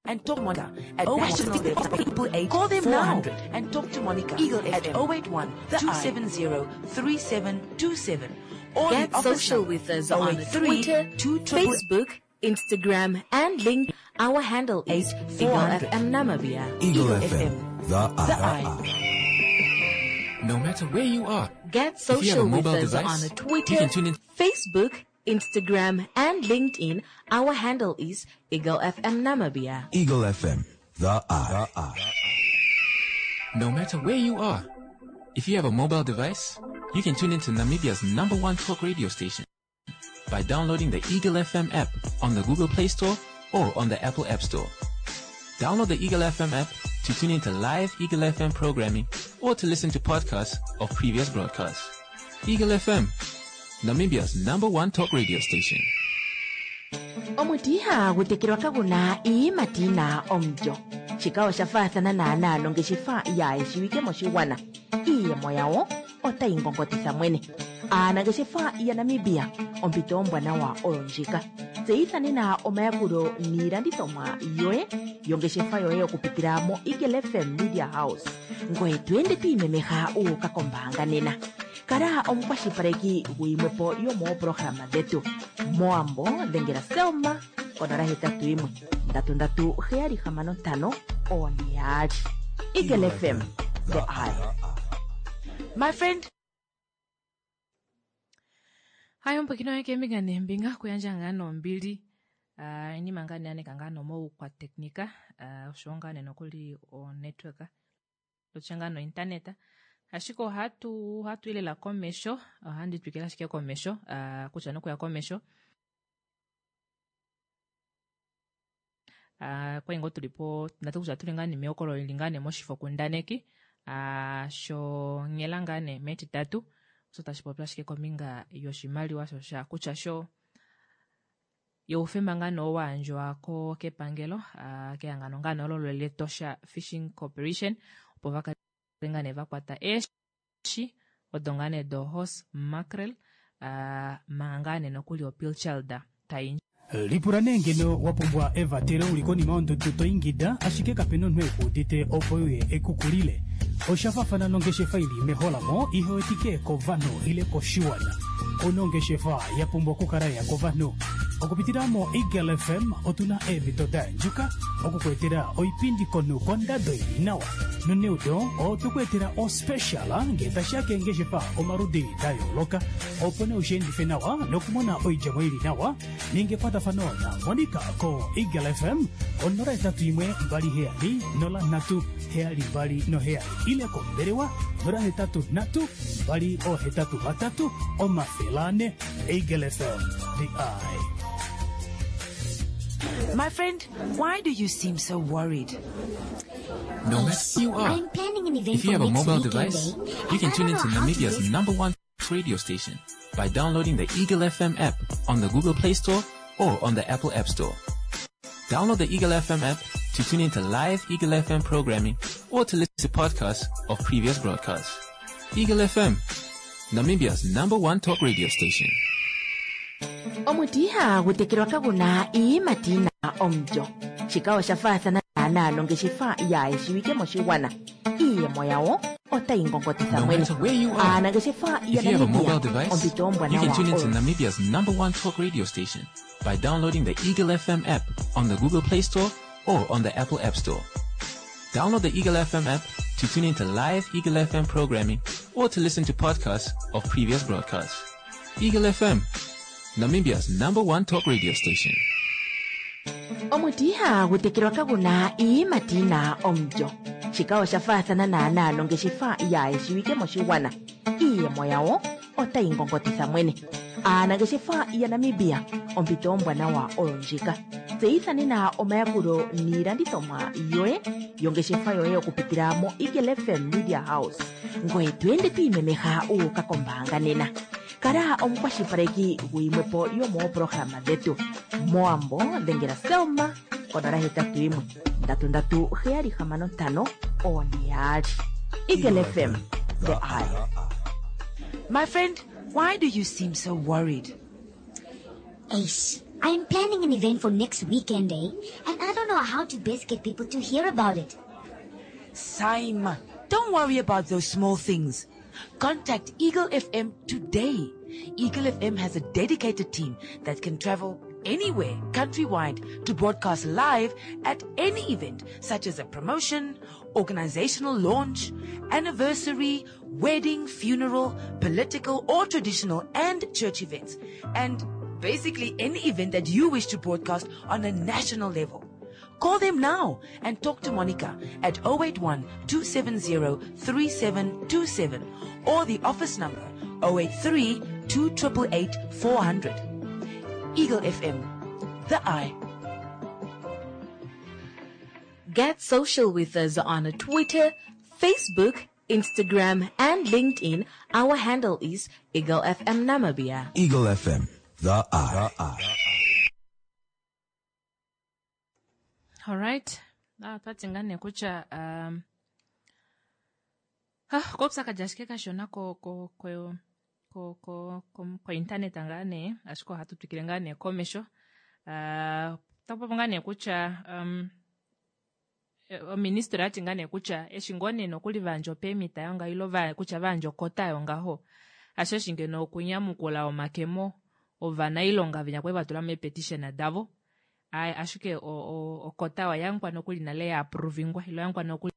and talk to Monica at 081 Call them now and talk to Monica Eagle at 081 270 3727 or Get the office social number with us on 083 Twitter, 288 Facebook, Instagram, and LinkedIn. Our handle is Eagle 400. FM Namibia. Eagle FM, the eye. No matter where you are, Get If you have a social with mobile us device, on you Twitter, can tune in. Facebook, Instagram, and LinkedIn. Our handle is Eagle FM Namibia. Eagle FM, the eye. No matter where you are, if you have a mobile device, you can tune into Namibia's #1 talk radio station by downloading the Eagle FM app on the Google Play Store or on the Apple App Store. Download the Eagle FM app to tune into live Eagle FM programming or to listen to podcasts of previous broadcasts. Eagle FM, Namibia's #1 talk radio station. Omuti ihagu tekelwa kaguna iiyimati yina omulyo. Shika osha faathana naanaa nongeshefa yaayeshiwike moshigwana. Iiyemo yawo otayi ngongotitha mwene. Aanangeshefa yaNamibia, ompito ombwanawa oyo ndjika. Tseyitha nena omayakulo niilandithomwa yoye yongeshefa yoye okupitila mo Eagle FM Media House. Ngoye to ende to imemeha u uka kombaanga nena. Kala omukwashilipaleki guyimwepo yomoopolohalama dhetu. Moambo dhengela Selma konola hetatu yimwe ndatu ndatu heyali hamano ntano one yaali. Eagle FM, the eye. My friend, Hayo mpwekino yeke embinga nembinga kuyandja ngaa nombili inima ngaa neaneka ngaa nomoukwateknika oshowo ngaa nee nokuli onetwork lotya ngaa nointernet ashike ohatu ohatu i lela komesho ohandi twikile ashike komesho kutya nokuya komesho. Ah, kwali ngoo tuli po natu kutya tuli ngaa nee mehokolo lili ngaa nee moshifokundaneki ah, shonghela ngaa nee metitatu osho tashi popi ashike kombinga yoshimaliwa sho sha kutya sho youfemba ngaa nee owaandjwa ko kepangelo ah, kehangano ngaa nee olo lEtosha Fishing Corporation opo va kale ngaa nee va kwata eeshi odo ngaa nee do horse mackerel ah, manga ngaa nee nokuli opilchard tai Lipula nee ngeno wa pumbwa evatelo uli konima yondudu to ingida ashike kapena omunhu eku udite opo uye ekukulile. Osha faafana nongeshefa ili meholamo ihe wetike kovanhu ile koshiwana. Ouna ongeshefa ya pumbwa okukala ya kovanhu. Okupitila mo Eagle FM otuna eemhito da yandjuka okukuetela oipindi komunhu kondado ili nawa. Noneudo otwe ku etela ospecial ngee tashiya keengeshefa omaludi da yooloka opo nee ushiendife nawa nokumona oidjemo ili nawa ninga ekwatafano na Monica ko Eagle FM ko 081 27 03 72 ile kombelewa 083 283 400. Eagle FM, the eye. My friend, why do you seem so worried? No matter who you are, I'm planning an event if you for have a next mobile weekend, device, eh? you can And I tune don't into know how to Namibia's best number one radio station by downloading the Eagle FM app on the Google Play Store or on the Apple App Store. Download the Eagle FM app to tune into live Eagle FM programming or to listen to podcasts of previous broadcasts. Eagle FM, Namibia's number one talk radio station. Omuti ihagu tekelwa kaguna iiyimati yina omulyo. Shika osha faathana naanaa nongeshefa yaayeshiwike moshigwana. Iiyemo yawo otayi ngongotitha No mwene. matter where you are, Aanangeshefa if you have a yaNamibia mobile device, ompito you ombwanawa can tune into oyo. Namibia's number one talk radio station by downloading the Eagle FM app on the Google Play Store or on the Apple App Store. Download the Eagle FM app to tune into live Eagle FM programming or to listen to podcasts of previous broadcasts. Eagle FM, Namibia's number one talk radio station. Omuti ihagu tekelwa kaguna iiyimati yina omulyo. Shika osha faathana naanaa nongeshefa yaayeshiwike moshigwana. Iiyemo yawo otayi ngongotitha mwene. Aanangeshefa yaNamibia ompito ombwanawa oyo ndjika. Tseyitha nena omayakulo niilandithomwa yoye yongeshefa yoye okupitila mo Eagle FM Media House. Ngoye to ende to imemeha uuka kombaanga nena. Kala omukwashilipaleki guyimwepo yomoopolohalama dhetu. Mowambo dhengela Selma konola hetatu yimwe ndatu ndatu heyali hamano ntano one yaali. Eagle FM, the eye. My friend, why do you seem so worried? Ace, I'm planning an event for next weekend, eh? And I don't know how to best get people to hear about it. Saima, don't worry about those small things. Contact Eagle FM today. Eagle FM has a dedicated team that can travel anywhere countrywide to broadcast live at any event such as a promotion, organizational launch, anniversary, wedding, funeral, political or traditional and church events, and basically any event that you wish to broadcast on a national level. Call them now and talk to Monica at 081 270 3727 or the office number 083 288 400. Eagle FM, the eye. Get social with us on Twitter, Facebook, Instagram, and LinkedIn. Our handle is Eagle FM Namibia. Eagle FM, the eye. Alright. Ah, twati ngaa nee kutya um, ah, koupyakadi ashike kashona ko ko ko ko ko ko, ko internet ngaa nee ashike ohatu twikile ngaa nee komesho. Uh, tapopo ngaa nee kutya um, oministry oyati ngaa nee kutya eshi ngoo nee nokuli vayandja opemita yongaho ilo va, kutya vayandja okota yongaho asheshi ngeno okunyamukula omakemo ovanailonga venya kwali vatula meepetition davo. Ai, ashike okota oyankwa nokuli nale ya approvingwa ilo yankwa nokuli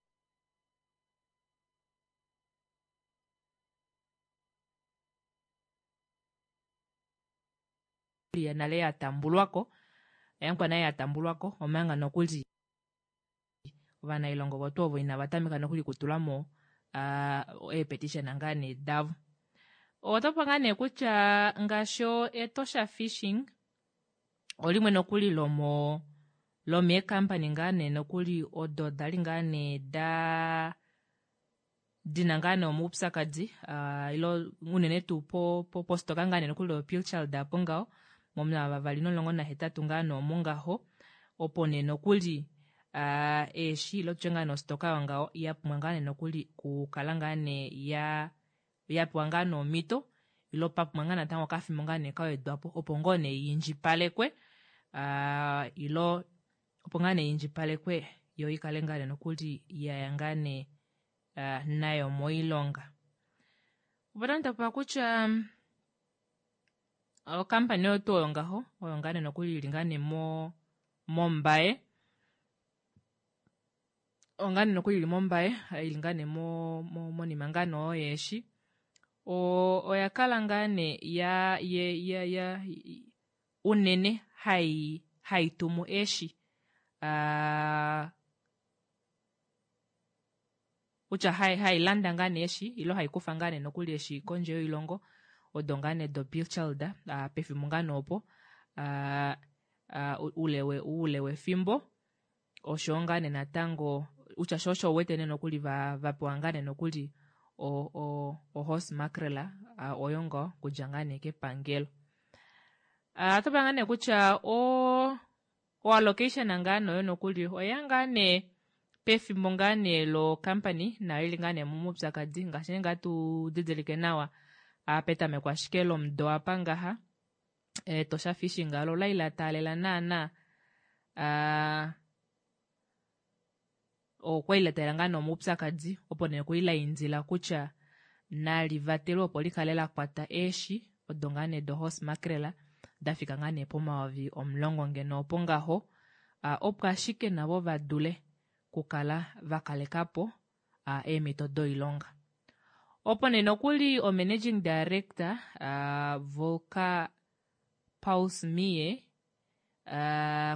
nale ya tambulwako yankwa naye ya tambulwako omanga nokuli ovanailonga ovo tuu ovo inava tameka nokuli kutulamo uh, eepetition ngaa nee davo. Otopa ngaa nee kutya ngaashi Etosha Fishing olimwe nokuli lomo lomeekampani ngaa nee nokuli odo dali ngaa nee da dina ngaa nee omaupyakadi uh, ilo unene tuu po, po, postoka ngaa nee nokuli yopilchard apo ngaho momavavali nomulongo nahetatu ngaa nee omo ngaho opo nee nokuli uh, eeshi ilo tutye ngaa nee ostoka yongaho ya pumbwa ngaa nee nokuli kukala ngaa nee ya ya pewa ngaa nee omhito ilo pa pumbwa ngaa natango okafimbo ngaa nee kawedwapo opo ngoo nee yiindjipalekwe uh, ilo opo ngaa nee yiindjipalekwe yo ikale ngaa nee nokuli yaya ngaa nee uh, nayo moilonga. Opo tapa kutya okampani oyo tuu oyo ngaho oyo ngaa nee nokuli ili ngaa nee mo mombaye oyo ngaa nee nokuli ili mombaye ili ngaa nee mo monima ngaa nee oyo yeeshi oya kala ngaa nee ya ye ya ya unene hai hai tumu eeshi uh, kutya hai hai landa ngaa nee eeshi ilo hai kufa ngaa nee nokuli eeshi kondje yoilongo odo ngaa nee do pilchard uh, pefimbo ngaa nee opo uh, uh, ule we ule wefimbo oshowo ngaa nee natango utya sho osho uwete nee nokuli va vapewa ngaa nee nokuli o o o horse mackerel uh, oyo ngoo okudja ngaa nee kepangelo. Uh, oto pula ngaa nee kutya o oallocation ngaa nee oyo nokuli oya ngaa nee pefimbo ngaa nee lo company nayo ili ngaa nee momaupyakadi ngaashi nee ngaa tu didilike nawa petameko ashike lomudo apa ngaha Etosha Fishing alo olai la taalela naana okwali la taalela ngaa nee omaupyakadi opo nee kwali la indila kutya nali vatelwe opo likale la kwata eeshi odo ngaa nee do horse mackerel dafika ngaa nee pomayovi omulongo ngeno opo ngaho opo ashike navo vadule kukala vakalekapo eemhito doilonga. Opo nee nokuli o managing director Volker Paulsmie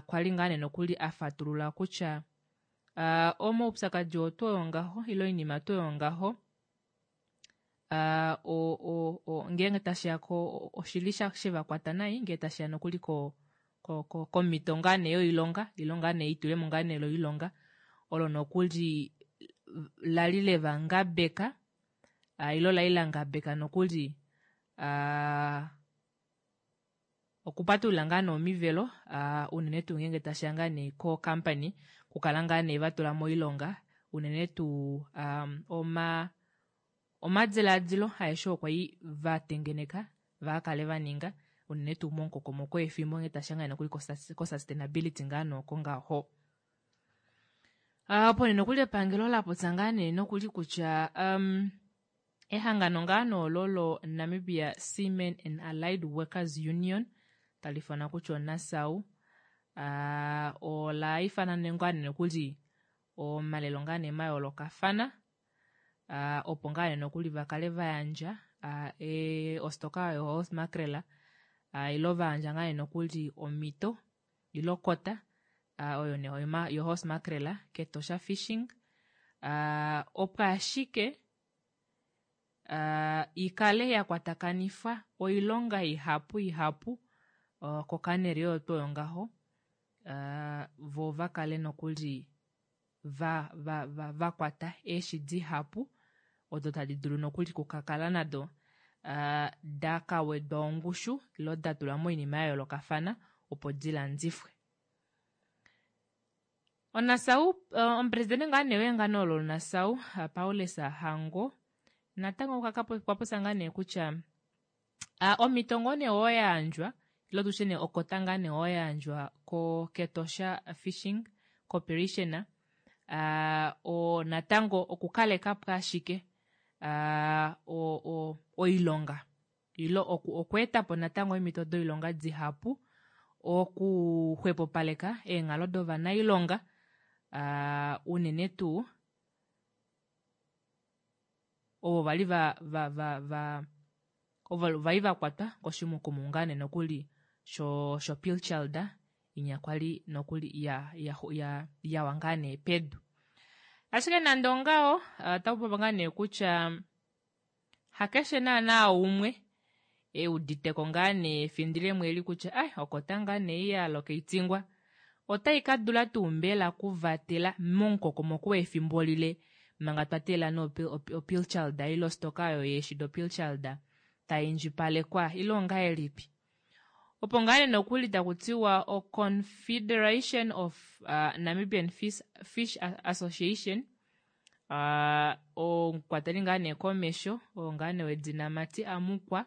kwali ngaa nee nokuli afatulula kutya omaupyakadi oo tuu oyo ngaho ile oinima tuu oyo ngaho o o ngeenge tashiya ko oshili shevakwata nai ngee tashiya nokuli ko komhito ngaa nee yoilonga ile ngaa nee eitulemo ngaa nee loilonga olo nokuli lali leva ngabeka ile olali la ngabeka nokuli okupatulula ngaa nee omivelo unene tuu ngeenge tashiya ngaa nee ko company okukala ngaa nee vatula moilonga unene tuu oma omadilaadilo aeshe okwa li va tengeneka vakale vaninga unene tuu momukokomoko wefimbo ngee tashiya ngaa nokuli ko sustainability ngaa nooko ngaho. Opo nee nokuli epangelo la popya ngaa nee nokuli kutya um, ehangano ngaa noolo lo Namibia Seamen and Allied Workers Union tali ifanwa kutya oNASAU uh, ola ifana ngaa nee nokuli omalelo ngaa nee mayoolokafana uh, opo ngaa nee nokuli vakale vayandja uh, e, ostoka yo horse mackerel uh, ilo vayandja ngaa nee nokuli omhito ilo kota uh, oyo nee yo horse mackerel kEtosha Fishing uh, opo ashike uh, ikale ya kwatakanifwa oilonga ihapu ihapu uh, kokaneri oyo tuu oyo ngaho uh, vo vakale nokuli va va va vakwata eeshi dihapu odo tadi dulu nokuli kukakala nado uh, da kawedwa ongushu ilo da tulwa moinima ya yoolokafana opo dilandifwe. Onasau uh, omupresidente ngaa nee wehangano olo Nasau uh, Paulus Hango natango okwa popya ngaa nee kutya uh, omhito ngoo nee oyo yayandjwa ilo tushe nee okota ngaa nee oyo yayandjwa ko kEtosha Fishing Corporation uh, o natango okukalekapo ashike uh, o, o, oilonga ilo oku, okweetapo natango eemhito doilonga dihapu okuxwepopaleka eenghalo dovanailonga uh, unene tuu ovo vali va va va va ovo vali va kwatwa koshimukumu ngaa nee nokuli sho sho pilchard inya kwali nokuli ya ya ya yawa ngaa nee pedu. Ashike nande ongaho otaku popiwa ngaa nee kutya hakeshe naana umwe euditeko ngaa nee efindilemo eli kutya ai okota ngaa nee ya alokeitingwa. Otai ka dula tuu mbela kuvatela momukokomoko wefimbo lile manga twa teelela nee opilchald ile ostoka oyo yeeshi dopilchald tai indjipalekwa ile ongahelipi? Opo ngaa nee nokuli taku tiwa oConfederation of Namibian Fish Association omukwateli ngaa nee komesho oo ngaa nee wedina Matti Amukwa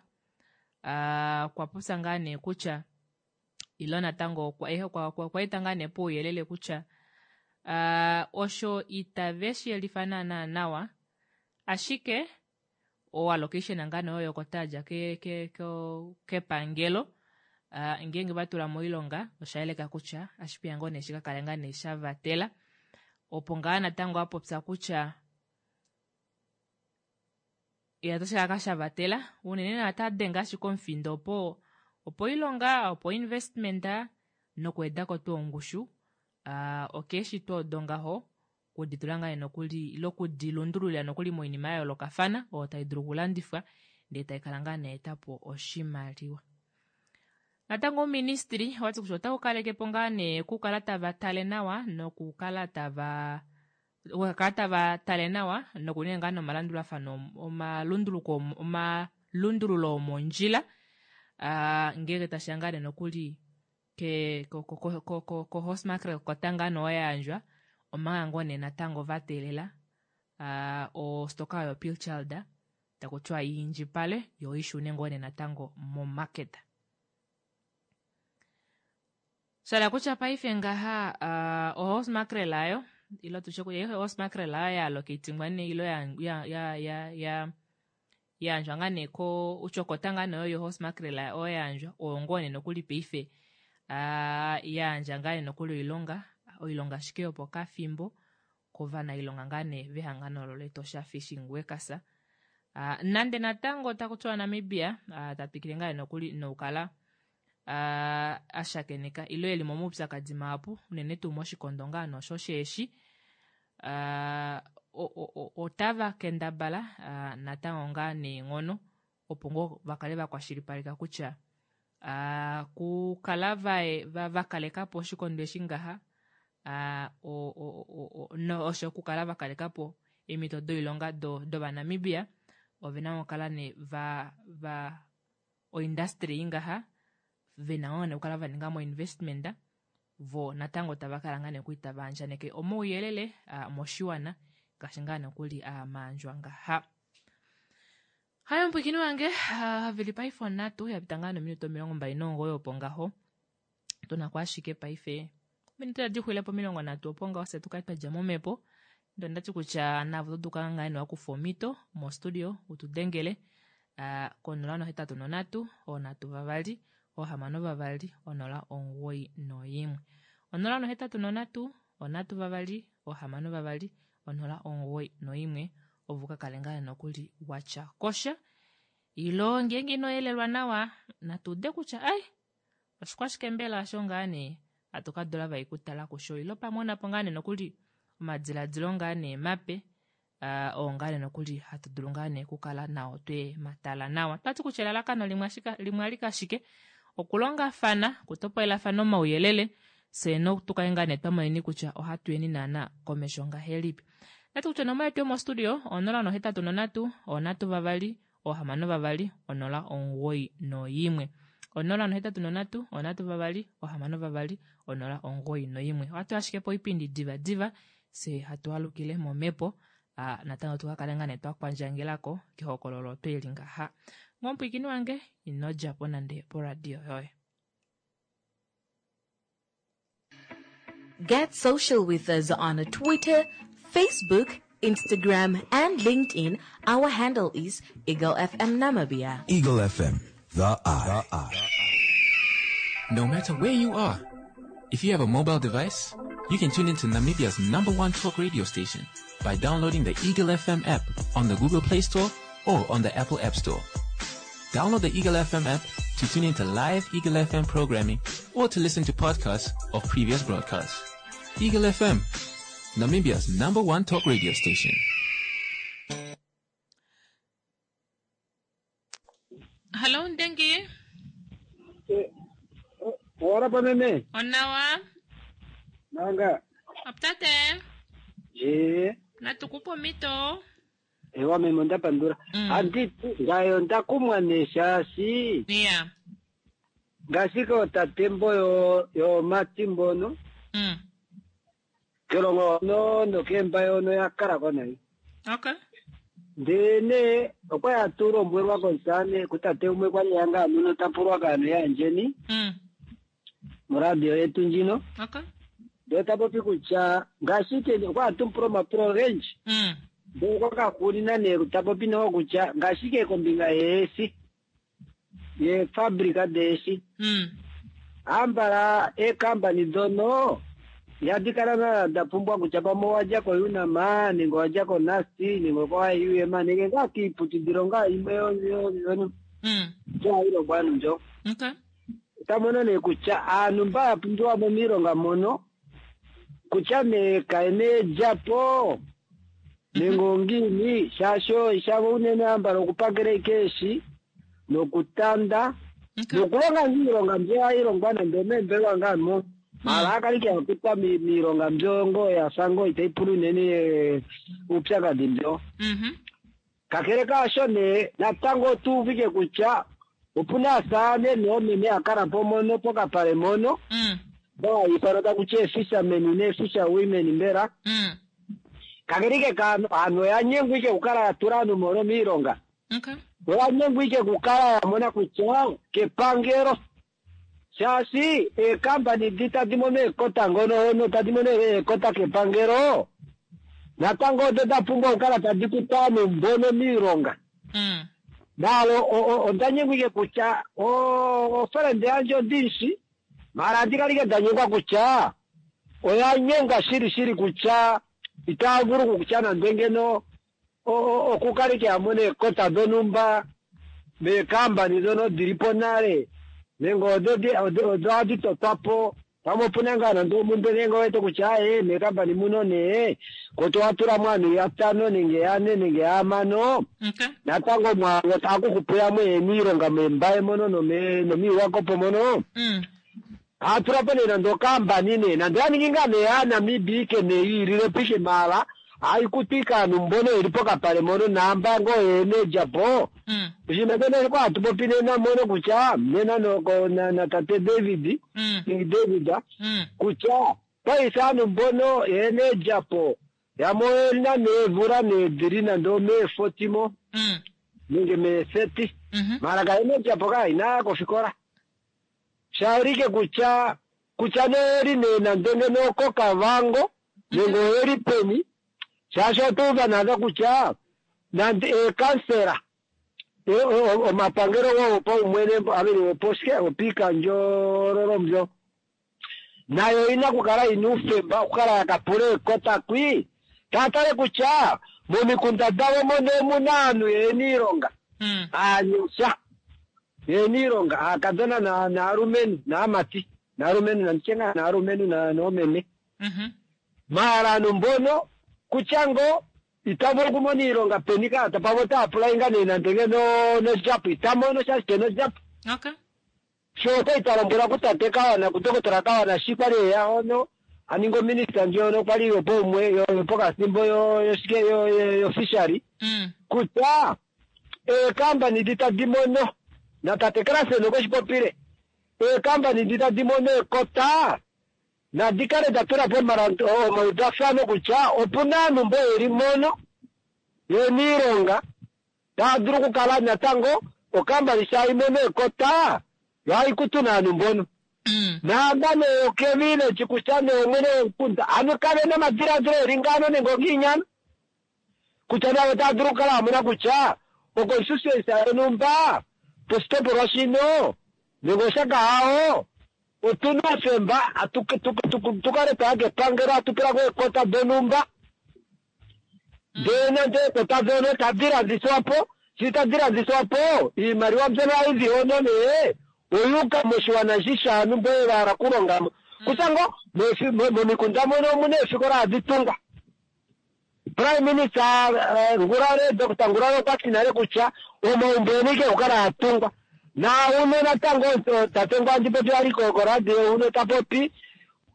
okwa popya ngaa nee kutya ile natango okwa eta ngaa nee pouyelele kutya osho itave shi yelifa naanaa nawa ashike oallocation ngaa nee oyo yokota yadja kepangelo ngeenge va tula moilonga osha yeleka kutya ashipeya ngoo nee shi ka kale ngaa nee sha vatela. Opo ngaa natango a popya kutya ya otashi ka kala sha vatela unene naa ota denge ashike omufindo opo opo oilonga opo investment nokuwedako tuu ongushu okeeshi tuu odo ngaho okuditula ngaa nokuli ile okudilundululila nokuli moinima ya yoolokafana oyo tai dulu okulandifwa ndee tai kala ngaa nee etapo oshimaliwa. Natango ouministry owati kutya otau kaleke po ngaa nee okukala tava tale nawa nokukala tava okukala tava tale nawa nokuninga ngaa nomalandulafano omalunduluko omalundululo omondjila ngeenge tashiya ngaa nee nokuli ke ko ko ko ko ko horse mackerel kota ngaa nee oyo ya yandjwa omanga ngoo nee natango va teelela ostoka oyo pilchard taku tiwa i indjipale yo i shune ngoo nee natango momarket. Shala kutya paife ngaha uh, ohorse mackerel ayo ilo tushe kutya horse mackerel ayo ya allocatingwa nee ilo ya ya ya ya, ya yandjwa ngaa nee ko utyokota ngaa nee oyo horse mackerel oyo yandjwa oyo ngoo nee nokuli paife uh, yandja ngaa nee nokuli oilonga oilonga ashike yopokafimbo kovanailonga ngaa nee vehangano olo lEtosha Fishing Workers. Uh, nande natango taku tiwa Namibia uh, ta twikile ngaa nee nokuli nokukala uh, a shakeneka ile eli momaupyakadi mahapu unene tuu moshikondo ngaa nosho sheeshi uh, otava kendabala uh, natango ngaa neenghono opo ngoo va kale va kwashilipaleka kutya uh, kukala va, va kaleka po oshikondo eshi ngaha uh, o, o, o, o, no, osho okukala va kaleka po eemhito doilonga do, dOvanamibia ove na okukala nee va, va oindustry ngaha ve na ngoo nee okukala va ninga mo investment vo natango tava kala ngaa nokuli tava andjaneke omauyelele moshiwana ngaashi ngaa nokuli maandjwa ngaha. Hayo omupwiikini wange veli paife onhatu ya pita ngaa nominute 29 opo ngaho tuna ko ashike paife ominute tadi xwile po 30 opo ngaho fye tukale twa dja momhepo ndo ndati kutya navo oto dulu ngaa nee wakufa omhito mostudio utu dengele ko 083 3 6 2 091. 083 3 6 2 091 ovo ka kale ngaa nokuli watya kosha ilo ngeenge ino yelelwa nawa natu ude kutya ai oshikwashike mbela osho ngaa nee hatu ka dula vai kutala kusho ilo pamwe onapo ngaa nee nokuli omadiladilo ngaa nee mape uh, oo ngaa nee nokuli hatu dulu ngaa nee okukala nao twe matala nawa. Twati kutya elalakano limwe ashike limwe alike ashike okulongafana, okutopolelafana omauyelele fye notu kale ngaa nee twa moneni kutya ohatu yeni naana komesho ngahelipi. Nati kutya onomola yetu yomostudio 083 3 6 2 091. 083 3 6 2 091. Ohatu ashike poipindi diva diva fye hatu alukile momhepo natango tu ka kale ngaa nee twa kwandjangelako kehokololo tweli ngaha. Ngomupwiikini wange ino dja po nande poradio yoye. Get social with us on Twitter, Facebook, Instagram, and LinkedIn. Our handle is Eagle FM Namibia. Eagle FM, the eye. The eye. No matter where you are, if you have a mobile device, you can tune into Namibia's number one talk radio station by downloading the Eagle FM app on the Google Play Store or on the Apple App Store. Download the Eagle FM app to tune into live Eagle FM programming or to listen to podcasts of previous broadcasts. Eagle FM, Namibia's number one talk radio station. Hello Ndengi. Ora pa meme. Onawa. Nanga. Tate. Je. Natu kupe omhito. Ewa meme onda pandula. Andi ngaye onda kumwa nee shaashi. Yeah. Ngaashi kootate mbo yo yoomati mbono. Kelongo hono nokeembaye hono ya kala ko nayi. Okay. Ndee nee okwa ya tu lombwelwa komusamane kutate umwe kwali ya ngaa muno ta pulwa kaanhu yaandjeni moradio yetu ndjino. Okay. Ndee ta popi kutya ngaashi ke okwa ya tu pula omapulo ogendji. Ndee okwa ka hugunina nee ta popi noho kutya ngaashi ke kombinga yeesi yeefabrika deeshi. Ambala eekampani dono ihadi kala naana da pumbwa kutya pamwe owa dja koUNAM nenge owa dja koNUST nenge okoIUM nenge ngaa kiiputudilo ngaa imwe mbyo hayi longwa aantu mbyo. Okay. Ota mono nee kutya aantu mba ya pumbiwa mo miilonga mono kutya nee kayena eedjapo nenge ongiini shaashi shavo unene ambala okupakela ike eeshi nokutanda nokulonga ngaa iilonga mbyo hayi longwa nande omeembelewa ngaa mo maala a kale ke ya kutwa miilonga mbyo ngoo ya fa ngoo itayi pula unene uupyakadhi mbyo. Kakele kaasho nee natango otu uvike kutya opuna aasaane noomeme ya kala po mono pokapale mono mba haya ithanwa taku ti eefishermen neefisherwomen mbela. Kakele ike kaantu aantu oya nyengwa ike okukala ya tula aantu mono miilonga. Okay. Oya nyengwa ike okukala ya mona kutya kepangelo shaashi eekampani di tadi mono eekota ngono hono tadi mono eekota kepangelo natango odo da pumbwa okukala tadi kuta aanhu mbono miilonga. Nalo onda nyengwa ike kutya ofelende yandje ondishi maala andi kala ike nda nyengwa kutya oya nyengwa shili shili kutya itaya vulu okutya nande ngeno okukala ike ya mona eekota dhonhumba meekampani dhono dili po nale nenge odo odo hadi totwa po pamwe opuna ngaa nande omumbwe nenge owete kutya aaye meekampani muno nee koto watula mo aanhu yatano nenge yane nenge yahamano natango omwaalu otaku hupu yamwe yena iilonga meembaye mono nomiiwakopo mono Haatula po nee nande okaambani nee nande oya ningi ngaa nee aaNamibia ike nee yiilile po ike maala haikutu ike aantu mbono yeli pokapale mono naamba ngoo yena eedjapo. Oshinima shono oshikwa hatu popi nena mono kutya nena noko na, na tate David King David kutya paife aantu mbono yena eedjapo yamwe oyena neemvula nee dhili nande omee40 mo nenge mee30 maala kayena edjapo kaa inaya kofikola. Sha ulike kutya kutya nee oyeli nee nande ngeno okoKavango nenge oyeli peni shaashi otwa uva naadha kutya nande eekansela omapangelo gopaumwene I mean goposhike gopiikandjololo mbyo nayo oyina okukala yina uufemba okukala ya ka pula eekota kwi taya tale kutya momikunda dhawo mono omuna aantu yena iilonga aanyasha yena iilonga aakadhona naalumentu naamati naalumentu nanditye ngaa naalumentu noomeme maala aantu mbono kutya ngo ita vulu okumona iilonga peni kaa pamwe ota apply nga nee nande ngeno nodjapo ita mono shaashi kena odjapo Okay. sho okwali twa lombwelwa kutate Kawana kuDokotola Kawana shi kwali eya hono a ninga ominista ndjono kwali yopaumwe yopokathimbo yoshike yofishery kutya eekampani di tadi mono na tate Klassen okwe shi popile eekampani di tadi mono ekota nadi kale da tula po omaudafano kutya opu na aanhu mbo yeli mono yena iilonga taya dulu okukala natango okampani sha imono ekota yo hayi kutu naanhu mbono naamba nee okevileji kutya nee mwene womukunda ano kave na omadiladilo eli ngaano nenge ongiinyano kutya navo otava dulu okukala vamona kutya oconstituency yonhumba poshitopolwa shino nenge oshakahao otuna oufemba tukale twaya kepangelo hatu pula ko eekota donhumba ndee nande eekota dhono tadi landithwa po shi tadi landithwa po iimaliwa mbyono hayi zi hono nee oyuuka moshiwana eshi shaanhu mbo va hala okulonga mo kutya ngo momikunda mono omuna eefikola hadi tungwa Prime Minister Ngurare Doctor Ngurare okwa ti nale kutya omaumbo ena ike okukala a tungwa na uno natango tate ngo andi popi ali koradio uno ta popi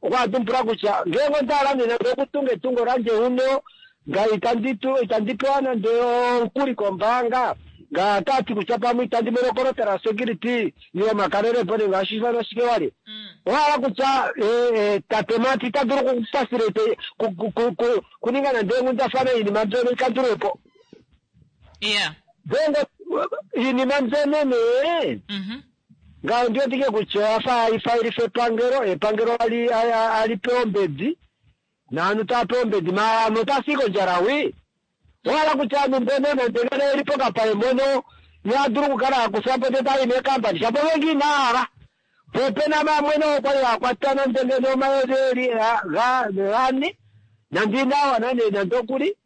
Okwa tumbula kutya ngeenge onda hala nee nande okutunga etungo landje uno nga itandi tu itandi pewa nande omukuli kombaanga nga otati kutya pamwe itandi mono okolotela security yomakalelepo nenge ohashi ifanwa shike wali owahala kutya tate Mati ita dulu okufacilitate kuninga nande eenghundafana oinima mbyono ikandulwepo. Ngeenge iinima mbyono nee ngaho ndi wetike kutya oya fa hayi epangelo, epangelo ali ali pewa ombedi naantu taya pewa ombedi maala aantu otaya si kondjala wi. Owahala kutya aantu mbono nande ngeno yeli pokapale mpono ihaya dulu okukala ya kuthwa po ndele taya yi meekampani shapo ngenge inaya hala. Po opena vamwe noho kwali ya kwatwa nande ngeno omayovi eli gane nande inaya wana nee nande okuli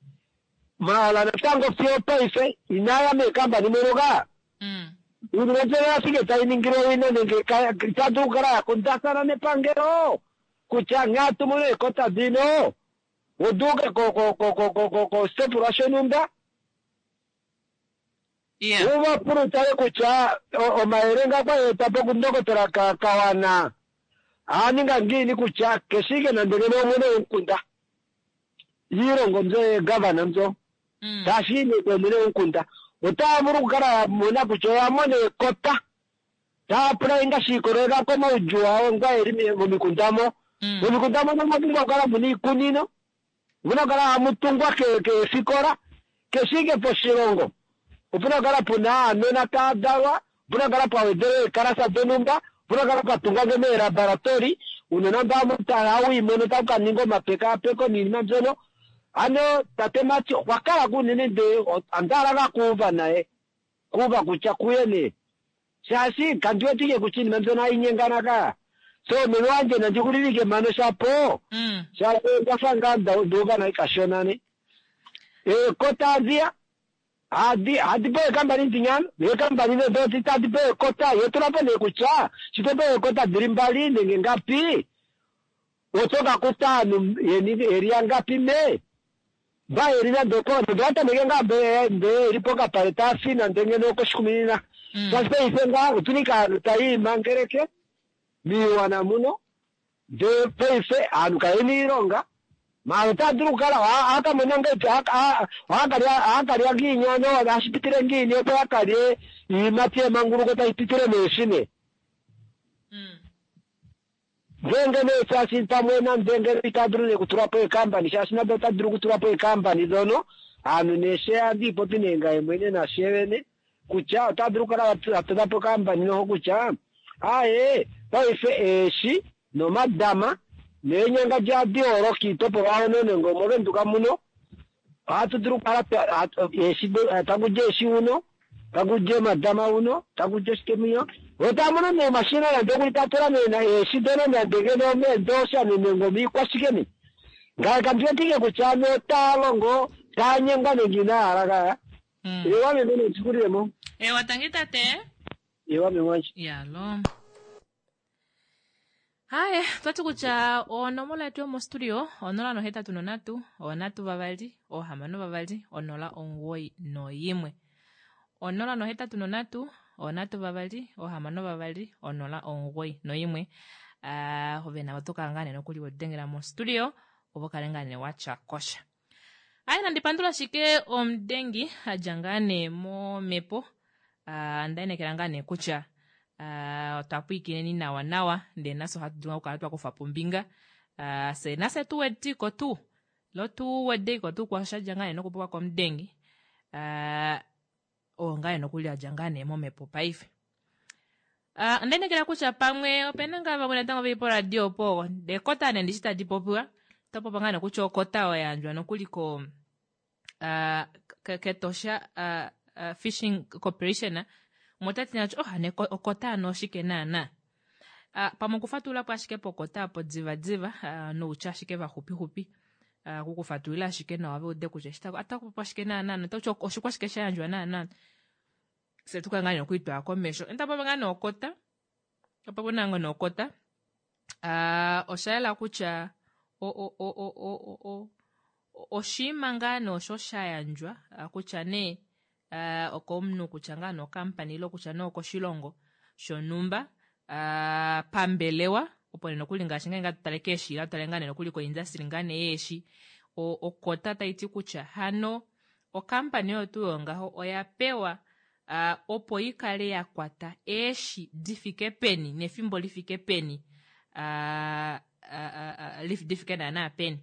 maala natango fiyo opaife inaya meekampani mono ka. Iinima mbyono oya thike tayi ningilwa owina nenge itaya dulu okukala ya kundathana nepangelo kutya nghee atu mono eekota dhino uduuke koshitopolwa shonhumba uva pula utale kutya omayele nga kwa etwa po kundokotola Kawana aaninga ngiini kutya keshike nande ngeno omwene womukunda iilongo mbyo yeegavana mbyo tashi yi omwene womukunda otaya vulu okukala ya mona kutya oya mona ekota taya pula inga shi ikolelela komaudjuu awo nga eli momikunda mo. Momikunda mono omwa pumbwa okukala muna iikunino, omuna okukala hamu tungwa keefikola, keshe ike poshilongo opuna okukala puna aanona taya dalwa, opuna okukala pwa wedelwa eekalasa donhumba, opuna okukala pwa tungwa ngeno eelaboratori, uunona mba hawu yi mono tawu ka ninga omapekaapeko niinima mbyono. Ano tate Mati okwa kala ko unene ndee onda hala ngaa kuuva naye, kuuva kutya kuye nee shaashi kandi wetike kutya iinima mbyono hayi nyengana ka. So meme wandje nandi hulilike mpano shapo shaashi onda fa ngaa nduuva nayi kashona ne. Eekota adhiya hadi hadi pewa eekambani ndinyano neekambani nee dho tadhi pewa ekota yo tula po nee kutya shi to pewa eekota dhili mbali nenge ngapi oto ka kuta aantu yeni yeli yangapi me mba yeli nande opo nande owa tameke ngaa mbe mbe yeli pokapale taya fi nande ngeno okoshikuminina shaashi paife ngaa otuna ike aantu taya imangeleke miiwana muno ndee paife aantu kayena iilonga maala otaya dulu okukala ohaya mona ngahelipi ohaya kalya ngiini ano ohashi pitile ngiini opo ya kalye iiyimati yemanguluko tayi pitile meeshi nee ngeenge nee shaashi pamwe nande ngeno itaya dulu nee okutula po eekampani shaashi nande ota dulu okutula po eekampani dhono aantu nee she andi ipopi nee ngaye mwene nashevene kutya ota dulu okukala atota po okampani noho kutya aaye paife eeshi nomadama neenyanga dja kiitopolwa hono nenge omovenduka muno ohatu dulu okukala eeshi taku di eeshi uno taku di omadama uno taku di oshike muyo otamono nee omashina nande okuli tatula nee eeshi dono nande ngeno meendosha nenge omiikwashike mi ngaye kandi wetike kutya ano otaya longo taya nyengwa nenge inaya hala kaya. Ewa meme netikulilemo. Ewa tangi tate. Ewa meme wandje. Yalo. Haye, twati kutya onomola yetu yomostudio 083 3 6 2 0 91. 083 3 6 2 0 91. Ove na oto kala ngaa nee nokuli wedengela mostudio opo kale ngaa nee watya kosha. Aye, nandi pandula shike omudengi adja ngaa nee momhepo. Onda inekela ngaa nee kutya otwa pwiikineni nawa nawa ndee nafye ohatu dulu okukala twa kufa po ombinga. Fye nafye tu wediko tuu lo tu wedeko tuu kwaasho sha dja ngaa nee nokupopiwa komudengi. Oo ngaa nee nokuli adja ngaa nee momhepo paife. Onda inekela kutya pamwe opena ngaa vamwe natango veli poradio opo ekota nee ndishi tadi popiwa to popa ngaa nee kutya okota oyo ya yandjwa nokuli ko kEtosha Fishing Corporation motati nee oh hano okota ano oshike naana. Pamwe okufatulula po ashike pokota apo diva diva noutya ashike vaxupixupi okukufatulila ashike nawa veude kutya eshi atakupopiwa shike naana notauti oshikwashike sha yandjwa naana fye tukale ngaa nee okwiitwala komesho. Ntapopi ngaa nee okota opo naa ngoo nee okota osha yela kutya oshiima ngaa nee osho sha yandjwa kutya nee okomunhu kutya ngaa nee okampani ile kutya nee okoshilongo shonhumba pambelewa. Opo nee nokuli ngaashi ngeenge hatu tale keeshi ile hatu tale ngaa nee nokuli koindastry ngaa nee yeeshi, okota tai ti kutya hano okampani oyo tuu oyo ngaho oya pewa opo i kale ya kwata eeshi di fike peni nefimbo li fike peni di fike naanaa peni.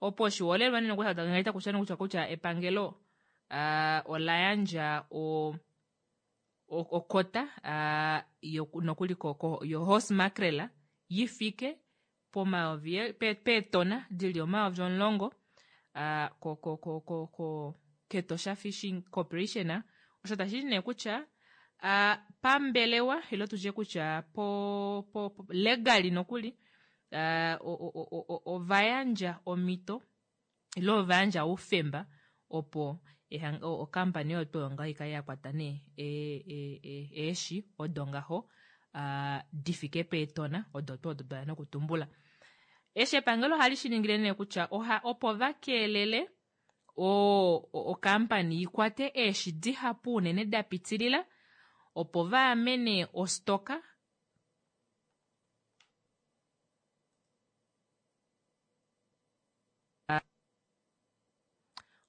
Opo oshiholelwa nee nokuli hatu kutya kutya kutya epangelo ola yandja o okota nokuli yo horse mackerel yi fike pomayovi peetona di li 10,000 kEtosha Fishing Corporation. Osho tashi ti nee kutya pambelewa ile tutye kutya po, po, po legally nokuli ova yandja omhito ile ova yandja oufemba opo okampani oyo tuu oyo ngaho ikale ya kwata nee eeshi odo ngaho di fike peetona odo tuu odo twa ya nokutumbula. Eshi epangelo ohali shi ningile nee kutya oha opo va keelele okampani i kwate eeshi dihapu unene da pitilila opo va amene ostoka.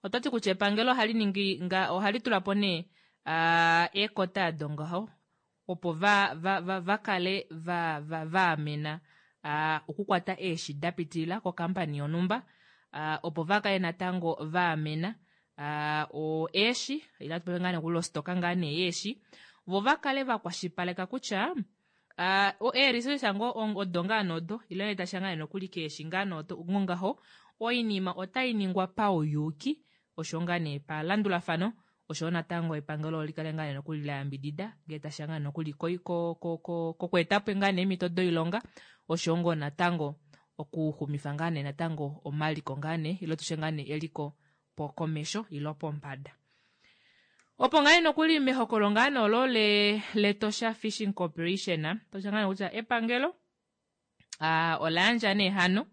Oto ti kutya epangelo ohali ningi nga ohali tula po nee eekota ado ngaho opo va va va va kale va va va amena okukwata eeshi da pitilila kokampani yonhumba opo va kale natango va amena eeshi ile hatu popi ngaa nee kuli ostoka ngaa nee yeeshi vo va kale va kwashipaleka kutya Ee-resources ngoo odo ngaa nodo ile tashi ya ngaa nokuli keeshi ngaa nodo ngongaho oinima otai ningwa pauyuuki osho ngaa nee palandulafano oshoyo natango epangelo oli kale ngaa nokuli la yambidida ngee tashi ya ngaa nokuli kokweeta po ngaa nee eemhito doilonga oshoyo ngoo natango okuxumifa ngaa nee natango omaliko ngaa nee ile tushe ngaa nee eliko komesho ile pombada. Opo ngaa nokuli mehokolo ngaa nee olo le lEtosha Fishing Corporation, tosha ngaa kutya epangelo ola yandja nee hano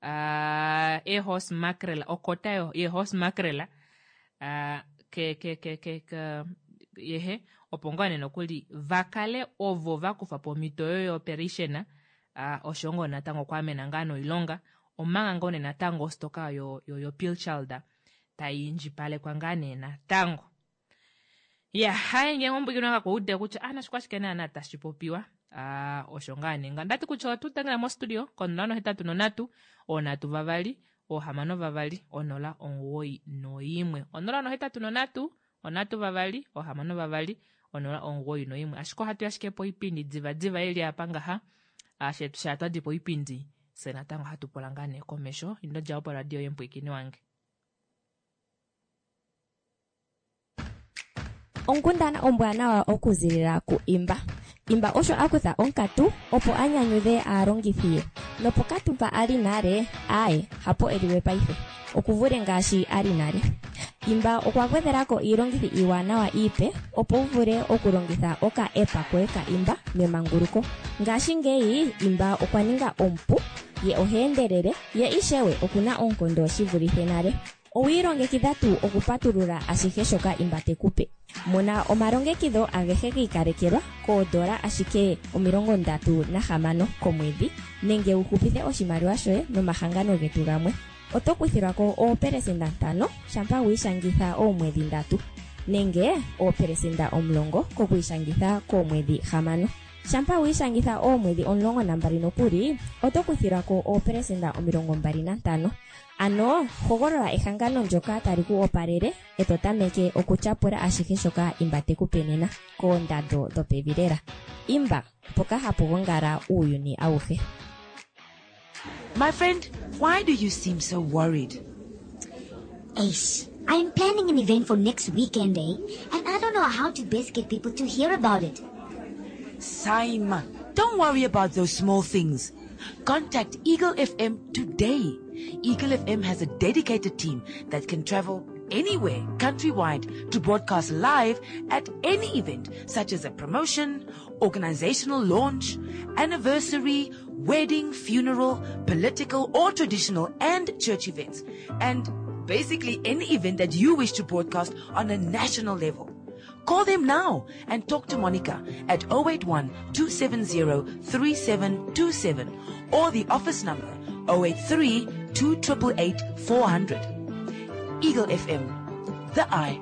ee-horse mackerel, okota yee-horse mackerel ke ke ke ke ke yehe opo ngaa nee nokuli va kale ovo va kufa po omhito oyo yo-operation osho ngoo natango okwaamena ngaa noilonga omanga ngoo nee natango ostoka yo yo pilchard tai indjipalekwa ngaa nee natango. Ya, haye ngenge ombwikino nga kuude kutya ah nashikwa shike naana tashi popiwa. Ah, osho ngaa nee nga. Ndati kutya otu tangela mo studio ko 083 3 6 2 0 91. 083 3 6 2 091. Ashike ohatu ya ashike poipindi diva diva ili apa ngaha. Ashe sha twadi poipindi se natango hatu pula ngaa nee komesho. Ino dja opo radio yempwikini wange. Onkundana ombwanawa okuzilila ku Imba. Imba osho a kutha onkatu opo a nyanyudhe aalongithi ye. Nopokatu mpa a li nale, aaye, hapo e li we paife. Oku vule ngaashi a li nale. Imba okwa gwedhela ko iilongithi iiwanawa iipe opo wu vule okulongitha oka app koye ka Imba memanguluko. Ngashingeyi Imba okwa ninga omupu, ye oha endelele, ye ishewe oku na oonkondo shi vulithe nale. Owi ilongekidha tuu okupatulula ashihe shoka Imba te ku pe? Mona omalongekidho agehe gi ikalekelwa koodola ashike 36 komwedhi nenge wu hupithe oshimaliwa shoye nomahangano getu gamwe. Oto kuthilwa ko oopelesenda 5 shampa wi ishangitha oomwedhi ndatu nenge oopelesenda 10 kokwiishangitha koomwedhi hamano. Shampa wi ishangitha oomwedhi 12 nokuli, oto kuthilwa ko oopelesenda 25. Ano hogolola ehangano ndyoka tali ku opalele e to tameke okutyapula ashihe shoka Imba te ku pe nena, koondando dhopevi lela. Imba, mpoka hapu gongala uuyuni awuhe. My friend, why do you seem so worried? Ace, I'm planning an event for next weekend, eh? And I don't know how to best get people to hear about it. Saima, don't worry about those small things. Contact Eagle FM today. Eagle FM has a dedicated team that can travel anywhere countrywide to broadcast live at any event such as a promotion, organizational launch, anniversary, wedding, funeral, political or traditional and church events, and basically any event that you wish to broadcast on a national level. Call them now and talk to Monica at 081 270 3727 or the office number 083 2888 400. Eagle FM, the eye.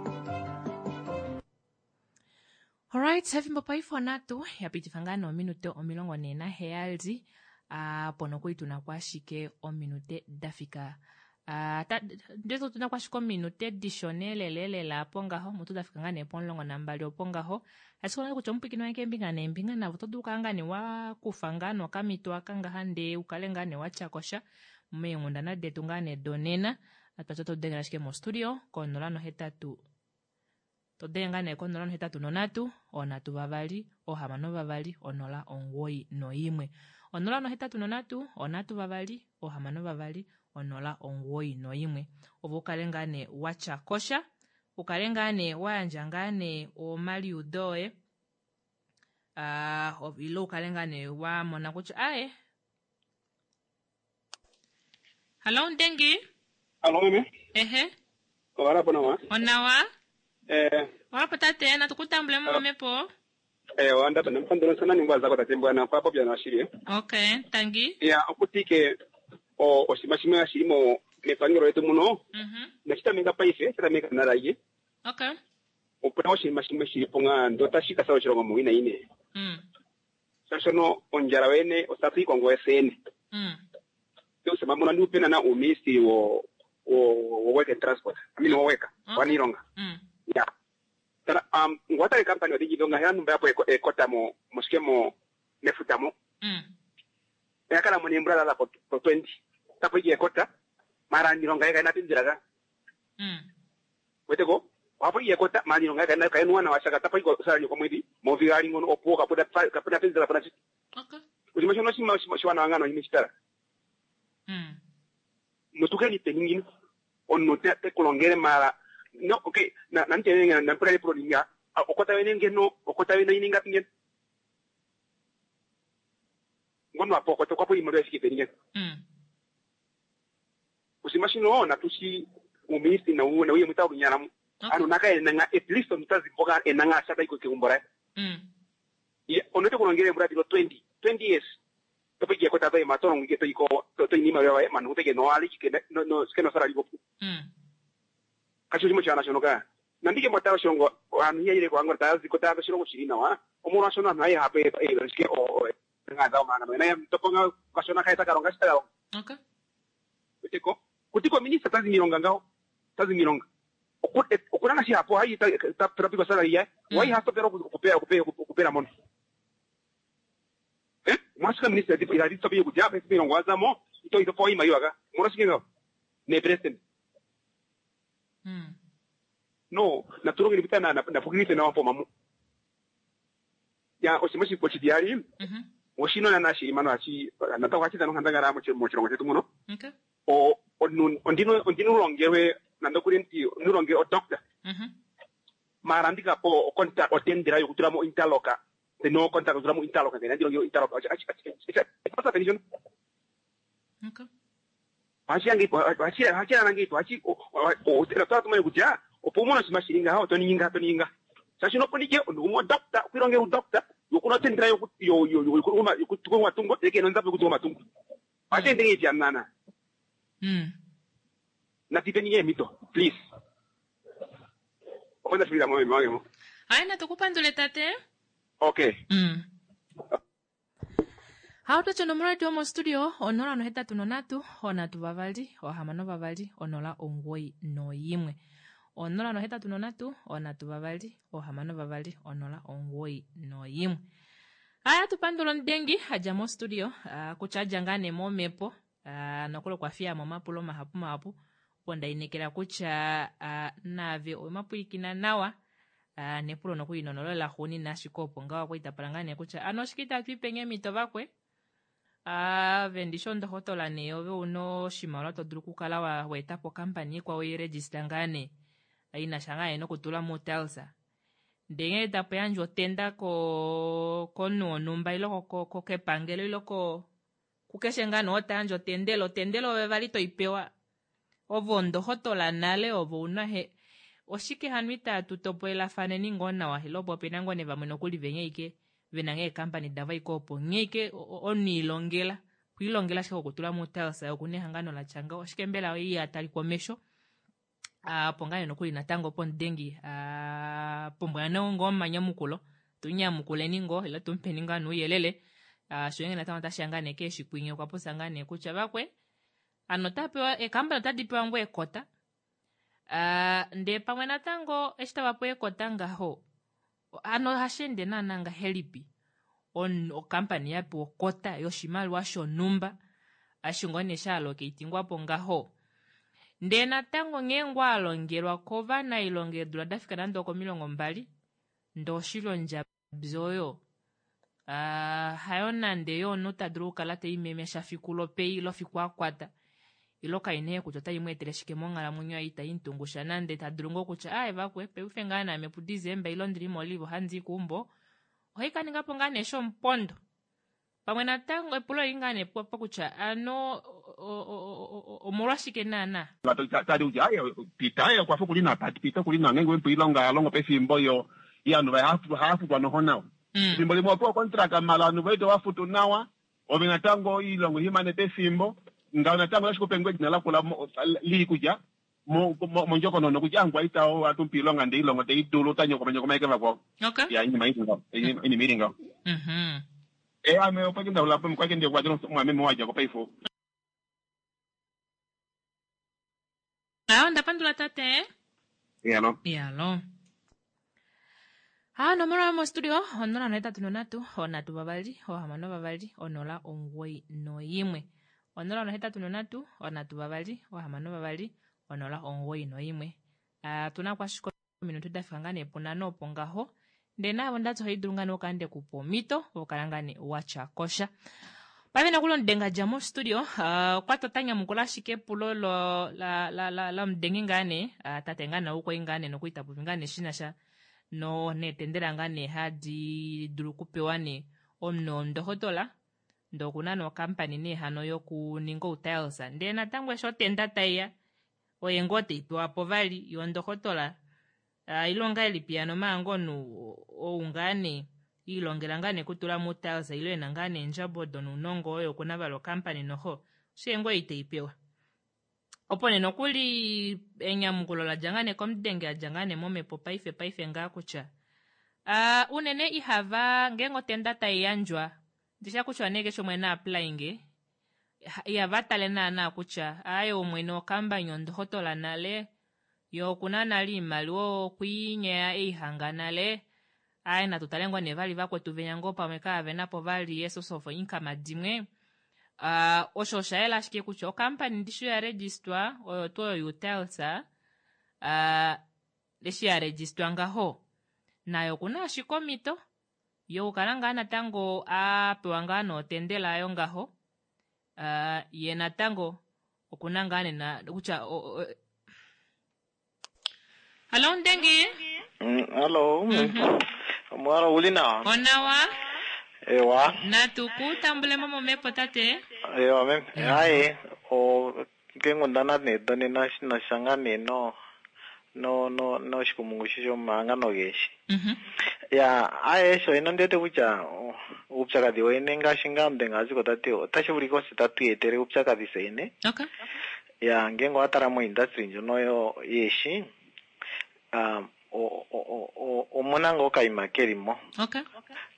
Alright, efimbo paife onatu yapitifa ngaa noominute 47 apo nokuli tuna ko ashike ominute da fika ndeto tuna ko ashike ominute dishona elelelela apo ngaho mutu da fika ngaa nee po12 opo ngaho ashike onale kutya omupwikini wange keembinga neembinga navo oto dulu kala ngaa nee wakufa ngaa nokamito aka ngaha ndee ukale ngaa nee watyakosha meenghundana detu ngaa nee donena atwati oto dengele ashike mostudio ko 0 8 to denge ngaa nee ko 083 3 6 2 0 91 083 3 6 2 0 91 opo ukale ngaa nee watya kosha ukale ngaa nee wayandja ngaa nee omaliudo oye ile ukale ngaa nee wamona kutya aye Hallo Ndengi. Hallo meme. Ehe. Owala po nawa. Onawa. Eh. Owala po tate natukutambule mo mepo. Eh wanda pa namfandolo sana ningwa zako tate mbwana kwa popya na shiri. Okay, tangi. Ya okutike o oshima shimwe ashirimo mepangelo letu muno. Mhm. Nashitameka paife, shitameka naraye. Okay. Opuna oshinima shimwe shili po ngaa ndo tashi ka sa oshilongo muwina ine. Sashono ondjala wene osatu ikongo esene. Usema muna ndi upena na uministry wo wo work and transport. I mean wo work. Okay. Wanilonga. Ya. Tala ngwatale company odhijidonga hela numba yapo ekota mo moshike mo mefuta mo. Yakala mo nembra lala po 20. Tapo iki ekota mara nilonga yaka ina pinziraga. Weteko wapo iki ekota mara nilonga yaka ina kaenuwa na washaka tapo iko sala nyoko mwedi movigali ngono opo kapuda kapuda pinzira pona chi. Okay. Ujima shono shima shwana wangano imishitara. Notukeni peningino onno te te kulongere mara no okay na na ntene na mpura pro ninga okota wene ngeno okota wene ininga pingen ngono apo okota kwapo imalo yafike peningen usimashino na tushi uministi na uwe na uye mwita unyaramu ano naka enanga at least omutazi mboka enanga ashata iko kikumbora ye onote kulongere mbura bilo 20 20 years tope ke kota to matoro ngi to iko to to ni mara wa manu te ke no ali ke no no ke no sara libo kasho shimo chana shono ka nandike motaro shongo anu yeye ko angor ta ziko ta shongo shirina wa omoro shono na ye hape e shike o nga da mana na to konga kashona kaita karonga shita Okay. kutiko kutiko minister tazi milonga ngao tazi milonga okunanga shi hapo hayi ta trapiko sala ya wai hasto pero kupera kupera kupera mono mwasika minister tipo ila dito biyo kujapa isi milongo azamo ito ito po ima yoga mora shike ngao ne president no na turonge nipita na na fukirite na wapo mamu ya osimoshi ko chidiari oshino na nashi imano achi na tawa achi tano handanga mo mo chirongo chetu muno Okay. o ondino ondino longewe nando kuri nti nulonge o doctor mara ndika po konta otendera yokutula mo interloka no contact kutula mo interloka ngena ndilonge interloka achi achi pasa pension Okay. achi angi achi achi angi achi o tera tatu mai kuja opo shima shiringa hao toninga toninga sashino ponike ondumo doctor kwilonge u doctor yokuna tendera yo yo yo yo yo matungo eke nonza kutunga matungo achi ndingi janana na tipeni mito please okwenda fila mo mo Hayi natukupandule tate. okay Hautocho nomola yomo studio 083 3 6 2 0 91 083 3 6 2 0 91 Aya tupandula omudengi adja mo studio kutya adja ngaa nee momhepo nokuli okwa fiya mo omapulo mahapu mahapu opo ndainekela kutya naave owemapwilikina nawa nepulo nokuli nonolo laxuunina ashike opo ngaho okwali tapala ngaa nee kutya ano oshike itatu ipenge emito vakwe ave ndishi ondohotola nee ove una oshimaliwa to dulu okukala waetapo okampani ikwao iregister ngaa nee inasha ngaa nee nokutula mutelsa ndee ngee tapo yandjwa otenda komunhu wonhumba ile kepangelo ile kukeshe ngaa nee oo tayandje otendela otendela ove vali toipewa ove ondohotola nale ove una he Oshike hano itaatu topolelafaneni ngoo nawa ile opo opena ngoo nee vamwe nokuli venya ike vena ngee eekampani davo aike opo nghee ike omunhu ilongela okwiilongela ashike kokutula muutiles okuna ehangano latya ngaho oshike mbela iha talikwa omesho opo ngaa nee nokuli natango pomudengi pumbwa ngoo omanyamukulo tunyamukuleni ngoo ile tumupeni ngaa nouyelele sho ngenge natango otashiya ngaa nee keeshikwinye okwa popya ngaa nee kutya vakwe ano ota pewa eekampani otadi pewa ngoo ekota ndee pamwe natango eshi tava pewa ekota ngaho ano ohashi ende naana ngahelipi okampani ya pewa okota yoshimaliwa shonhumba eshi ngoo nee sha hala okeitingwa po ngaho ndee natango nghee ngoo a longelwa kovanailonga eedula dafika nande okomilongo mbali ndee oshili ondjabi oyo hayo nande yo omunhu ta dulu okukala teimemesha fiku lopei lofiku akwata ilo kaina kutya otai mweetele shike monghalamwenyo yaye itai mutungusha nande ta dulu ngoo kutya aaye vakwe paife ngaa naame puDecember ilo ndili molive ohandi i keumbo ohai kaningapo ngaa nee shomupondo pamwe natango epulo oli ngaa nee po kutya ano omolwashike naana tadi kutya aye Peter ye okwa fa okuli na Peter okuli na ngeenge wemupa oilonga ya longo pefimbo yo ye ovanhu vaye hava futwa noho nawa efimbo limwe owapewa ocontract mala ovanhu voye tovaa futu nawa ove natango oilonga ihimane pefimbo ngaho natango otashi kupe ngoo edina lakula lii kutya mondjokonono kutya angwaita oo atumupa iilonga ndee ilongo teidulu ota nyokoma eke vakwao ya inima ili ngaho inima ili ngaho e ame okwake ndaulapo kwake ndiye mwameme wadjako paife Ayo ndapandula tate. Yalo. Yalo. Ha onomola yomostudio 083 3 6 2 091. 083 3 6 2 091. Tuna kwashiko minutu dafika ngaa nee punhano opo ngaho ndee naavo ndati ohaidulu ngaa nee okukala ndekupa omhito okukala ngaa nee watya kosha paife nokuli omudengi adja mostudio okwati ota nyamukula ashike epulo lomudengi ngaa nee tate ngaa nee oukwai ngaa nee nokuli tapopi ngaa nee shinasha no neetendela ngaa nee hadi dulu okupewa nee omunhu omundohotola ndee okuna nee okampani nee hano yokuninga outiles ndee natango eshi otenda taiya oye ngoo teipewa po vali yo ndohotola ile ongahelipi hano maanga omunhu ou ngaa nee iilongela ngaa nee kutula muutiles ile ena ngaa nee eendjabo donounongo oyo okuna vali okampani noho oshike ngoo iteipewa opo nee nokuli enyamukulo ladja ngaa nee komudenge adja ngaa nee momhepo paife paife ngaa kutya unene ihava ngeenge otenda taiyandjwa ndisha kutya nee keshe umwe na applyinge ihava tale naana kutya aaye omwene wokambani ondohotola nale yo okuna nale iimaliwa okwiinyeya eihanga nale aaye natu tale ngoo nee vali vakwetu venya ngoo pamwe kaavena po vali e-source of income dimwe osho osha yela ashike kutya okampani ndishi oya registwa oyo tuu oyo youtiles eshi ya registwa ngaho nayo okuna ashike omhito yokukala ngaa natango apewa ngaa nootendela ayo ngaho ye natango okuna ngaa nena kutya Hallo Ndengi. Hallo. Omwalo uli nawa? Onawa. Ewa. Natu ku tambulemo momhepo tate. Ewa meme. Hayi o keenghundana nee donena shinasha ngaa nee no no no noshikumungu shomahangano geeshi. Ya aye sho ino ndiwete kutya uupyakadhi wene ngaashi ngaa omudenga aziko tati otashi vulika ose tatu iyetele uupyakadhi seyene. Ya ngenge owa tala mo industry ndjono yo yeeshi omuna ngoo okayima kelimo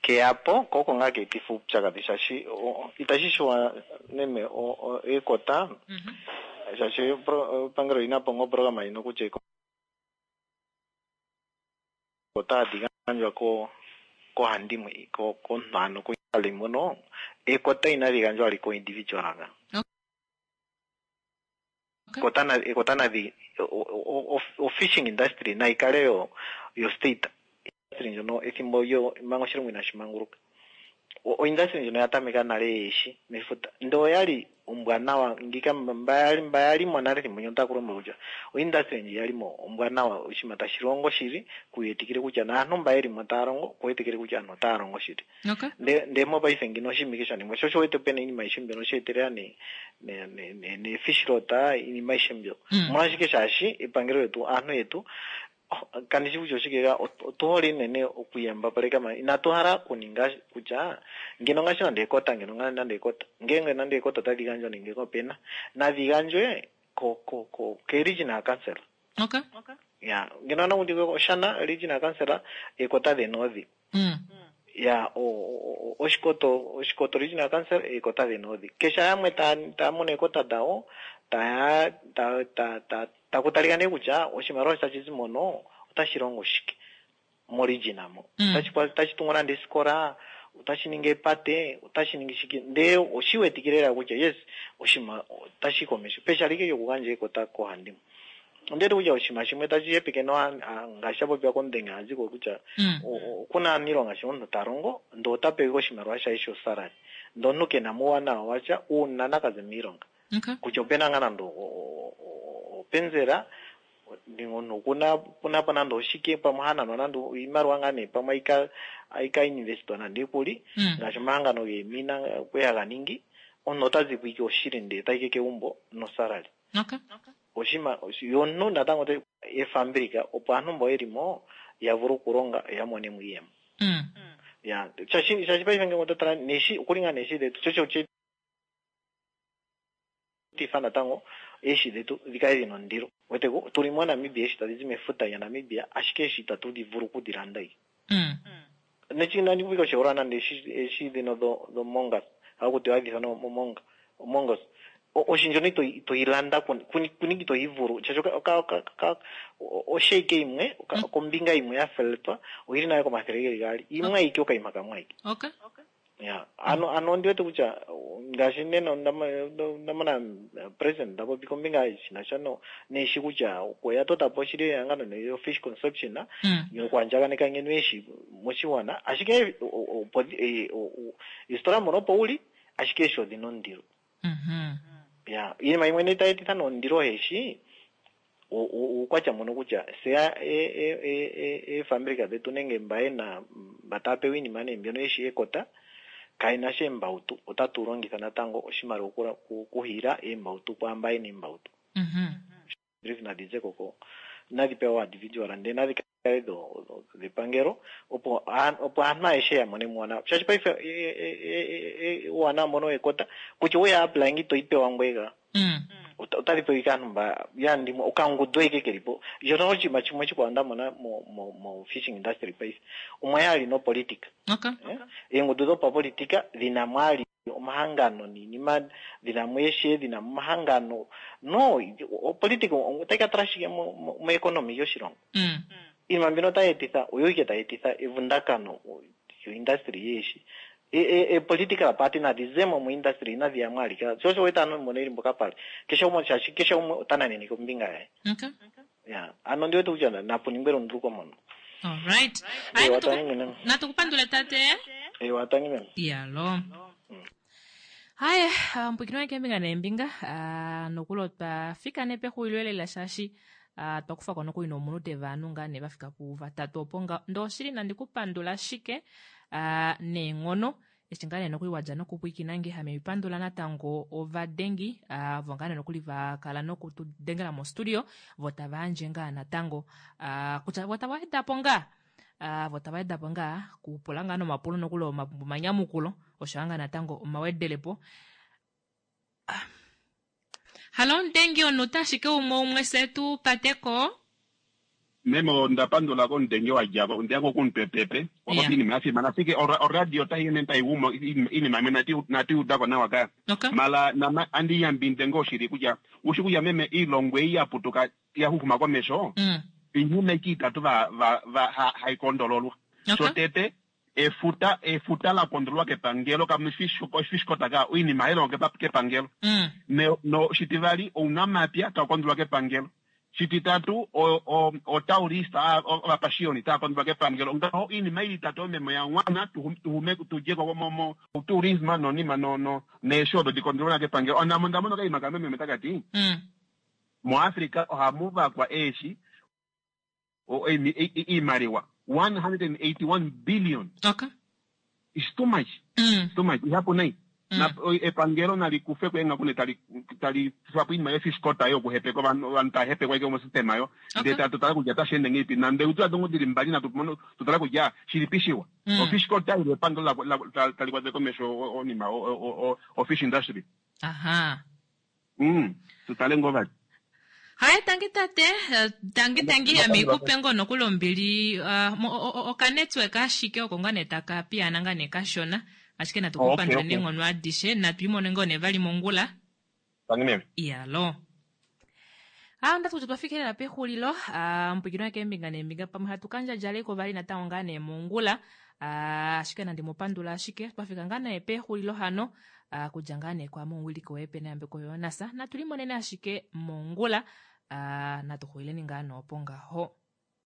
keyapo ko oko ngaa keetifa uupyakadhi shaashi itashi shuwa meme ekota shaashi epangelo olina po ngoo oprograma ino kutya ekota hadi gandjwa kohandimwe komunhu ano mono ekota inali gandjwa ali ko individual nga ekota nadhi o fishing industry naikale yo yo state industry ndjono ethimbo lyo manga oshilongo inashi manguluka oindustry ndjono ya tameka nale yeeshi mefuta ndee oyali ombwanawa ngika mba yalimo nale ethimbo ndyono otaku kutya oindustry ndji yalimo ombwanawa oshinima tashi longo shili kuyetikile kutya naantu mba yelimo taya longo kuwetikile kutya aantu otaya longo shili ndee mopaife ngino oshinima ike sha ningwa sho osho wete pena iinima aishe mbyono sheetelela ne ne fish rot iinima aishe mbyo omolwashike shaashi epangelo letu aantu yetu Oh, kandi shi kutya oshike ka otu hole unene okuyambapaleka ma inatu hala okuninga kutya ngeno ngaashi nande ekota ngeno ngaa nande ekota ngeenge nande ekota otadi gandjwa nenge opena nadhi gandjwe ko ko ko ke regional council. Okay. Ya ngeno nakuti Oshana regional council ekota dheni odhi. Ya Oshikoto Oshikoto regional council ekota dheni odhi. Kesha yamwe ta ta mono ekota dawo taya ta ta ta taku talika nee kutya oshimaliwa tashi zi mono otashi longo shike moregion mo. Otashi otashi tungu nande esikola, otashi ningi epate, otashi ningi shike ndee oshi wetikile lela kutya yes oshima otashi yi komesho pehala ike lyokugandja ekota koohandimwe. Ondi wete kutya oshinima shimwe tashi hepeke no ngaashi sha popiwa komudhengi a zi ko kutya okuna aaniilonga sho omuntu ta longo ndee ota pewa ike oshimaliwa shaye sho salary ndee omuntu kena mo uuwanawa washa uuna na ka ze miilonga. Kutya opena ngaa nande openzela nenge omuntu okuna kuna po nande oshike pamwe ha nanwa nande iimaliwa ngaa nee pamwe ayika ayika investwa nande ekuli ngaashi omahangano geemina kwe haga ningi omuntu ota zipo ike oshili ndee tayi ke kegumbo nosalary. Okay. Oshima yo omuntu natango ota efambilika opo aantu mbo yeli mo ya vule okulonga yo ya mone mo iiyemo. Ya shaashi shaashi paife ngele oto tala neeshi okuli ngaa neeshi dhetu sho osho etitha natango eeshi dhetu dhi kale dhina ondilo. Wete ko tuli moNamibia eeshi tadhi zi mefuta lyaNamibia ashike eeshi itatu dhi vulu okudhi landa. Nechi nandi kupika oshiholelwa nande eeshi eeshi dhino dho dho mongas haku tiwa hadhi ithanwa omonga omongos oshi ndjono ito ito yi landa kuni kuni ito yi vulu shaashi oka oka oka oka oshake yimwe kombinga yimwe ya feletwa oyili nale komathele geli gaali yimwe ayike okayima kamwe ayike. Okay. Ya, ano ano ondi wete kutya ngaashi nena onda onda mona president ta popi kombinga shina sha no neeshi kutya okwe tota po shili ehangano yo fish conception yokuandjaganeka ngeno eeshi moshigwana ashike opo eesitola mono opo uli ashike eeshi odhina ondilo. Ya, iinima yimwe nee tayi etitha noondilo eeshi uukwatya mbono kutya se eefambilika dhetu nenge mba yena mba taya pewa iinima nee mbyono yeshi ekota kayena sha eembautu otatu longitha natango oshimaliwa okuhiila eembautu kwaamba yena eembautu. Brief nadhi zeko ko nadhi pewa individual ndee nadhi kale dhepangelo opo opo aantu ayehe ya mone muuwanawa shaashi paife uuwanawa mbono wekota kutya oweya apply nge itoyi pewa ngweye ka otadhi pewa ike aantu mba ya ndimwe okangundu ike keli po ndjono oshinima shimwe oshikwawo nda mona mo mo mo fishing industry paife omwa yali nopolitika Okay. eengundu dhopapolitika dhina mwali omahangano niinima dhina mo eeshe dhina mo omahangano no opolitika otayi ka tala shike mo mo mo economy yoshilongo iinima mbino otayi etitha oyo ike tayi etitha evundakano yo industry yeeshi e political party nadhi zemo mo industry inadhi ya mo alike sho osho wete aantu mbono yeli mboka pali keshe gumwe shaashi keshe gumwe ota nanene kombinga yaye Okay. ya ano ndi wete kutya napu ningwe elunduluko mono Alright. Ewa, tangi mene. Natu kupandule tate. Ewa, tangi meme. Yalo. Haya, mpwikino wake embinga neembinga ah, nokuli otwa fika nee pexulilo lela shaashi ah, twa kufa ko nokuli nomunute vaanhu ngaa nee va fika puvatatu opo nga ndee oshili nandi ku pandula shike ah, neenghono eshi ngaa nee nokuli wa dja nokupwiikina nge hame pandula natango ovadengi ah, vo ngaa nee nokuli va kala noku tu dengela mostudio vo tava yandje ngaa natango ah, kutya vo tava weda po ngaa ah, vo tava weda po ngaa kupula ngaa nomapulo nokuli omanyamukulo osho ngaa natango omawedelepo ah. Halo omudengi onuta ashike umwe umwe se tu pateko Meme onda pandula komudhengi wa dja ko, ondeya ko komupepepe wa popi iinima ya fimana ashike oradio otayi ende tayi gumu iinima yimwe inatu yi uda ko nawa ka. Mala nama andi yambidhidhe ngoo shili kutya ushi kutya meme iilongo ei ya putuka ya huhuma komesho iinima ike itatu va va va hayi kondololwa. Shotete Efuta efuta la kondololwa kepangelo kamu fish quota ka oinima hai longwa kepangelo. Ne no shitivali ounamapya tau kondololwa kepangelo. Shititatu o o otaurist ovapashiyoni tava kondololwa kepangelo. Ngaho oinima ili itatu oyo meme oya wana tuhume tudje ko mo mo tourism nonima no no neeshi odo di kondololwa kepangelo. Onda mona okaima kamwe meme takati moAfrica ohamu vakwa eeshi iimaliwa 181 billion. Okay. It's too much. Mm. It's too much. Ihapu nai. Na, epangelo nali kufe ko eenghaku ne tali tali kufa po oinima yefish quota yokuhepeka ovanhu ovanhu tava hepekwa ashike mosystema yo ndee ta totala kutya otashi ende ngeipi nande utula dongo dili mbali natu mono tutala kutya shilipi shiwa mm. ofish quota ile epangelo tali kwatele komesho onima ofish industry aha mm tutale ngoo vali Haye tangi tate, eh, tangi tangi ame ikupe ngoo nokuli ombili ah, okanetwork ashike oko ngaa nee taka piyaana ngaa nee kashona ashike natu ku pandule okay. neenghono adishe natu imone ngoo nee vali mongula. Tangi meme. Iyalo. Ah, ndati kutya twafika lela pexulilo ah, mupwikinwa keembinga neembinga pamwe hatu kandjadjaleko vali natango ngaa nee mongula ah, ashike nandi mu pandula ashike twafika ngaa nee pexulilo hano Ah, kudja ngaa nee kwaame omuwiliki woye Peneyambeko Jonas natu limonene ashike mongula ah, natu xulileni ngaa noopo ngaho.